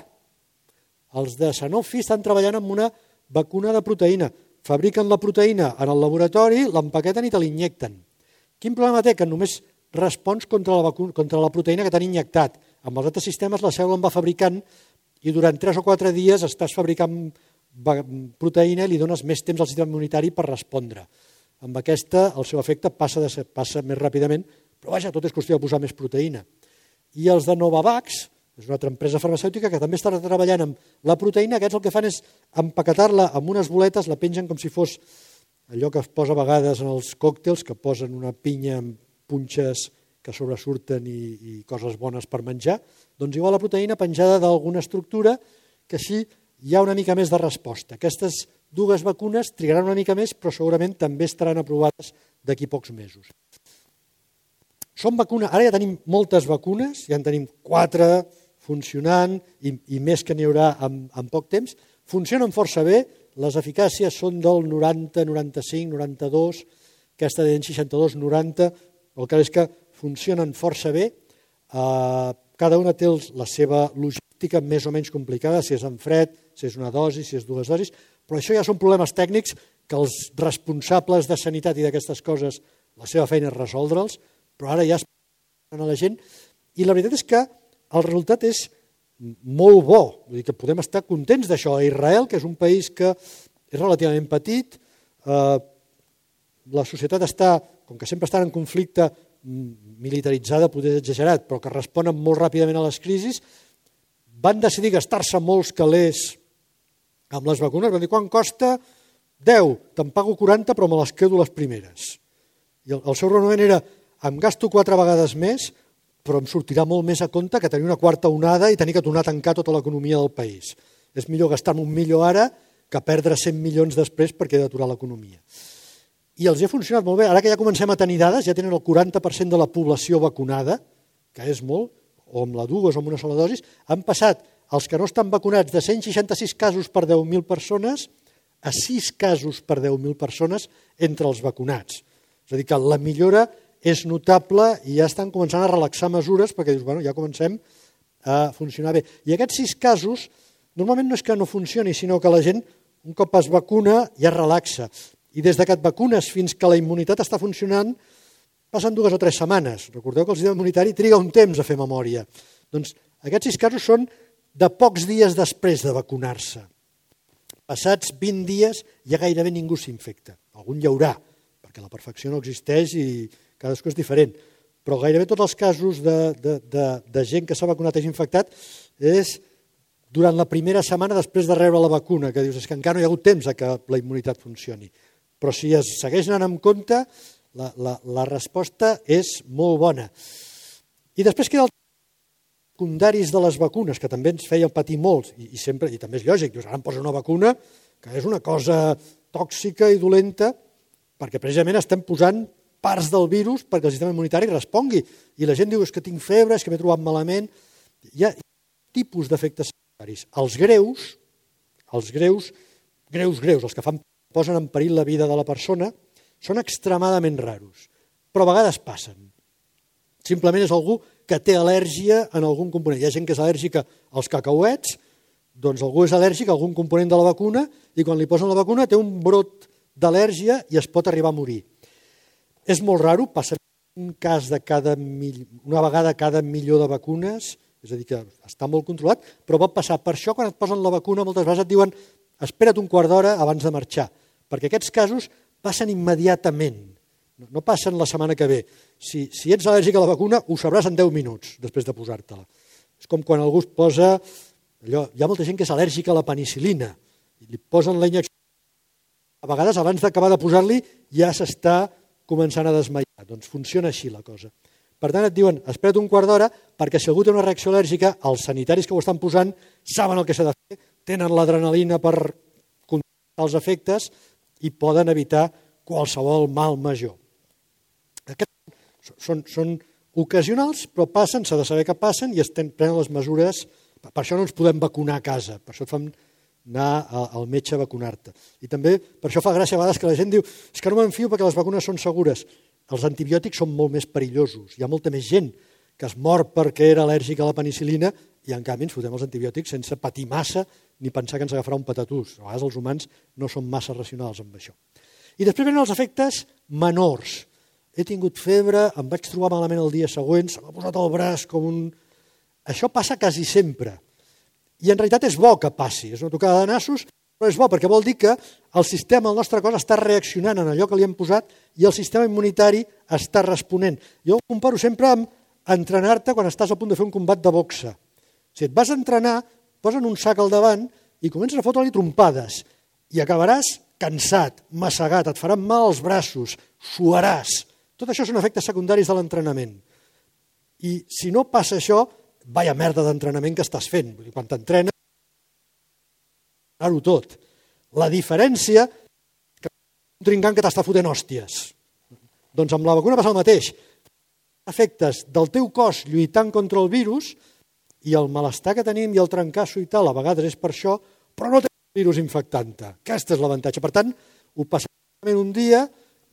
Speaker 1: Els de Sanofi estan treballant amb una vacuna de proteïna. Fabriquen la proteïna en el laboratori, l'empaqueten i te l'injecten. Quin problema té? Que només respons contra la, vacuna, contra la proteïna que t'han injectat. Amb els altres sistemes la cèl·lula en va fabricant i durant tres o quatre dies estàs fabricant proteïna i li dones més temps al sistema immunitari per respondre. Amb aquesta el seu efecte passa, de ser, passa més ràpidament, però vaja, tot és qüestió de posar més proteïna. I els de Novavax, és una altra empresa farmacèutica que també està treballant amb la proteïna, aquests el que fan és empaquetar-la amb unes boletes, la pengen com si fos allò que es posa a vegades en els còctels, que posen una pinya amb punxes que sobresurten i, i coses bones per menjar, doncs igual la proteïna penjada d'alguna estructura que així hi ha una mica més de resposta. Aquestes dues vacunes trigaran una mica més, però segurament també estaran aprovades d'aquí pocs mesos. Són vacunes, ara ja tenim moltes vacunes, ja en tenim quatre funcionant i, i més que n'hi haurà en, en poc temps. Funcionen força bé, les eficàcies són del noranta, noranta-cinc, noranta-dos, aquesta de seixanta-dos, noranta, el que és que funcionen força bé. Uh, cada una té la seva logística més o menys complicada, si és en fred, si és una dosi, si és dues dosis, però això ja són problemes tècnics que els responsables de sanitat i d'aquestes coses, la seva feina és resoldre'ls, però ara ja es a la gent, i la veritat és que el resultat és molt bo, vull dir que podem estar contents d'això. A Israel, que és un país que és relativament petit, eh, la societat està, com que sempre està en conflicte, militaritzada, poder exagerat, però que responen molt ràpidament a les crisis, van decidir gastar-se molts calés amb les vacunes, van dir, quan costa? deu, te'n pago quaranta, però me les quedo les primeres. I el, el seu raonament era, em gasto quatre vegades més, però em sortirà molt més a compte que tenir una quarta onada i tenir que tornar a tancar tota l'economia del país. És millor gastar-me un milió ara que perdre cent milions després perquè he d'aturar l'economia. I els ha funcionat molt bé. Ara que ja comencem a tenir dades, ja tenen el quaranta per cent de la població vacunada, que és molt, o amb la dues o amb una sola dosis, han passat els que no estan vacunats de cent seixanta-sis casos per deu mil persones a sis casos per deu mil persones entre els vacunats. És a dir, que la millora és notable i ja estan començant a relaxar mesures perquè dius, bueno, ja comencem a funcionar bé. I aquests sis casos, normalment no és que no funcioni, sinó que la gent, un cop es vacuna, ja es relaxa. I des que et vacunes fins que la immunitat està funcionant, passen dues o tres setmanes. Recordeu que el sistema immunitari triga un temps a fer memòria. Doncs aquests sis casos són de pocs dies després de vacunar-se. Passats vint dies ja gairebé ningú s'infecta. Algun hi haurà, perquè la perfecció no existeix i cadascú és diferent. Però gairebé tots els casos de, de, de, de gent que s'ha vacunat i és infectat és durant la primera setmana després de rebre la vacuna, que dius és que encara no hi ha hagut temps a que la immunitat funcioni. Però si es segueix anant amb compte, la, la, la resposta és molt bona. I després queda el secundaris de les vacunes, que també ens feien patir molts, i, i, sempre, i també és lògic, dius, ara em posa una vacuna que és una cosa tòxica i dolenta, perquè precisament estem posant parts del virus perquè el sistema immunitari respongui. I la gent diu, és que tinc febre, és que m'he trobat malament. Hi ha tipus d'efectes secundaris. Els greus, els greus, greus, greus, els que fan, posen en perill la vida de la persona, són extremadament raros, però a vegades passen. Simplement és algú que té al·lèrgia en algun component. Hi ha gent que és al·lèrgica als cacauets, doncs algú és al·lèrgic a algun component de la vacuna i quan li posen la vacuna té un brot d'al·lèrgia i es pot arribar a morir. És molt raro, passa un cas de cada mil... una vegada cada milió de vacunes, és a dir, que està molt controlat, però pot passar. Per això, quan et posen la vacuna, moltes vegades et diuen espera't un quart d'hora abans de marxar, perquè aquests casos passen immediatament, no passen la setmana que ve. Si, si ets al·lèrgic a la vacuna, ho sabràs en deu minuts després de posar-te-la. És com quan algú es posa... Allò, hi ha molta gent que és al·lèrgica a la penicil·lina, i li posen la injecció, a vegades abans d'acabar de posar-li ja s'està començant a desmaiar. Doncs funciona així la cosa. Per tant, et diuen, espera't un quart d'hora, perquè si algú té una reacció al·lèrgica, els sanitaris que ho estan posant saben el que s'ha de fer, tenen l'adrenalina per controlar els efectes i poden evitar qualsevol mal major. Aquests són, són ocasionals, però passen, s'ha de saber que passen i es prenen les mesures. Per això no ens podem vacunar a casa, per això et fan anar al metge a vacunar-te. I també per això fa gràcia a vegades que la gent diu és que no m'enfio perquè les vacunes són segures. Els antibiòtics són molt més perillosos. Hi ha molta més gent que es mor perquè era al·lèrgica a la penicil·lina i en canvi ens fotem els antibiòtics sense patir massa ni pensar que ens agafarà un patatús. A vegades els humans no són massa racionals amb això. I després venen els efectes menors. He tingut febre, em vaig trobar malament el dia següent, se m'ha posat el braç com un... Això passa quasi sempre. I en realitat és bo que passi, és una tocada de nassos, però és bo perquè vol dir que el sistema, el nostre cos, està reaccionant en allò que li hem posat i el sistema immunitari està responent. Jo ho comparo sempre amb entrenar-te quan estàs a punt de fer un combat de boxa. Si et vas a entrenar, posen un sac al davant i comences a fotre-li trompades i acabaràs cansat, massegat, et faran mal els braços, suaràs. Tot això són efectes secundaris de l'entrenament. I si no passa això, vaya merda d'entrenament que estàs fent. Quan t'entrenes, ho tot. La diferència és que un trincant que t'està fotent hòsties. Doncs amb la vacuna passa el mateix. Efectes del teu cos lluitant contra el virus i el malestar que tenim i el trencasso i tal, a vegades és per això, però no tenim el virus infectant-te. Aquest és l'avantatge. Per tant, ho passem un dia,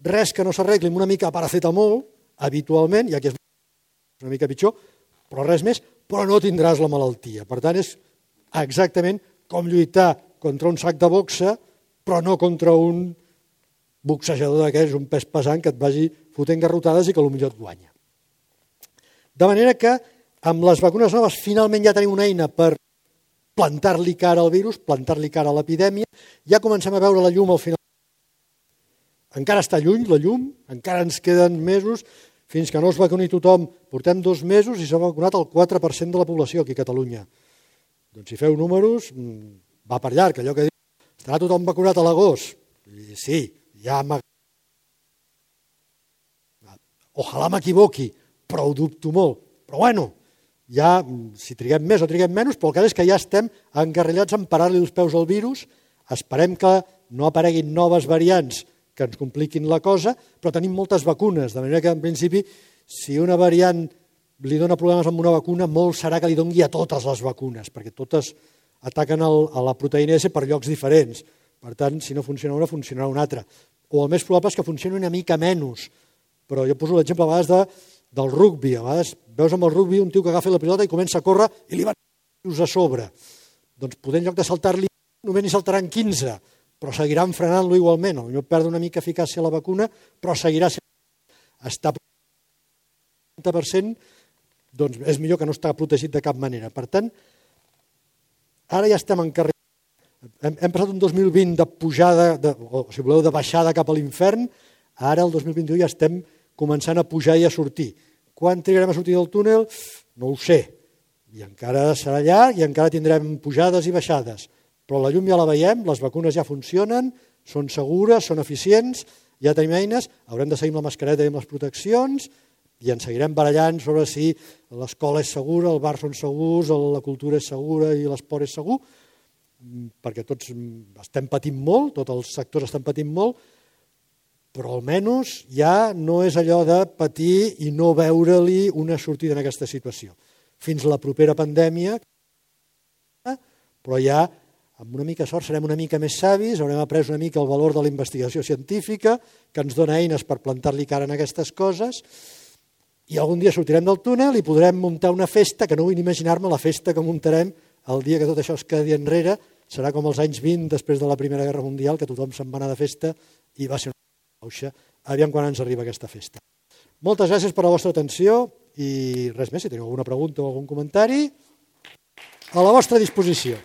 Speaker 1: res que no s'arregli amb una mica de paracetamol, habitualment, ja que és una mica pitjor, però res més, però no tindràs la malaltia. Per tant, és exactament com lluitar contra un sac de boxa, però no contra un boxejador d'aquells, un pes pesant que et vagi fotent garrotades i que potser et guanya. De manera que amb les vacunes noves finalment ja tenim una eina per plantar-li cara al virus, plantar-li cara a l'epidèmia, ja comencem a veure la llum al final. Encara està lluny la llum, encara ens queden mesos, fins que no es vacuni tothom, portem dos mesos i s'ha vacunat el quatre per cent de la població aquí a Catalunya. Doncs si feu números, va per llarg, allò que diu, estarà tothom vacunat a l'agost? Sí, ja m'ha... Ojalà m'equivoqui, però ho dubto molt. Però bueno, ja, si triguem més o triguem menys, però el cas és que ja estem encarrillats en parar-li els peus al virus, esperem que no apareguin noves variants que ens compliquin la cosa, però tenim moltes vacunes, de manera que en principi, si una variant li dona problemes amb una vacuna, molt serà que li doni a totes les vacunes, perquè totes ataquen el, a la proteïna S per llocs diferents. Per tant, si no funciona una, funcionarà una altra. O el més probable és que funcioni una mica menys, però jo poso l'exemple a vegades de, del rugbi. A vegades veus amb el rugbi un tio que agafa la pilota i comença a córrer i li van a sobre. Doncs poder en lloc de saltar-li, només n'hi saltaran quinze, però seguiran frenant-lo igualment. Potser perd una mica eficàcia la vacuna, però seguirà sent... Està trenta per cent, doncs és millor que no està protegit de cap manera. Per tant, ara ja estem en carrer. Hem, hem passat un dos mil vint de pujada, de, o si voleu, de baixada cap a l'infern, ara el dos mil vint-i-u ja estem començant a pujar i a sortir. Quan trigarem a sortir del túnel? No ho sé. I encara serà llarg i encara tindrem pujades i baixades. Però la llum ja la veiem, les vacunes ja funcionen, són segures, són eficients, ja tenim eines, haurem de seguir amb la mascareta i amb les proteccions i ens seguirem barallant sobre si l'escola és segura, el bar són segurs, la cultura és segura i l'esport és segur, perquè tots estem patint molt, tots els sectors estan patint molt, però almenys ja no és allò de patir i no veure-li una sortida en aquesta situació. Fins la propera pandèmia, però ja amb una mica sort serem una mica més savis, haurem après una mica el valor de la investigació científica, que ens dona eines per plantar-li cara en aquestes coses, i algun dia sortirem del túnel i podrem muntar una festa, que no vull imaginar-me la festa que muntarem el dia que tot això es quedi enrere, serà com els anys vint després de la Primera Guerra Mundial, que tothom se'n va anar de festa i va ser una pauxa. Aviam quan ens arriba aquesta festa. Moltes gràcies per la vostra atenció i res més, si teniu alguna pregunta o algun comentari, a la vostra disposició.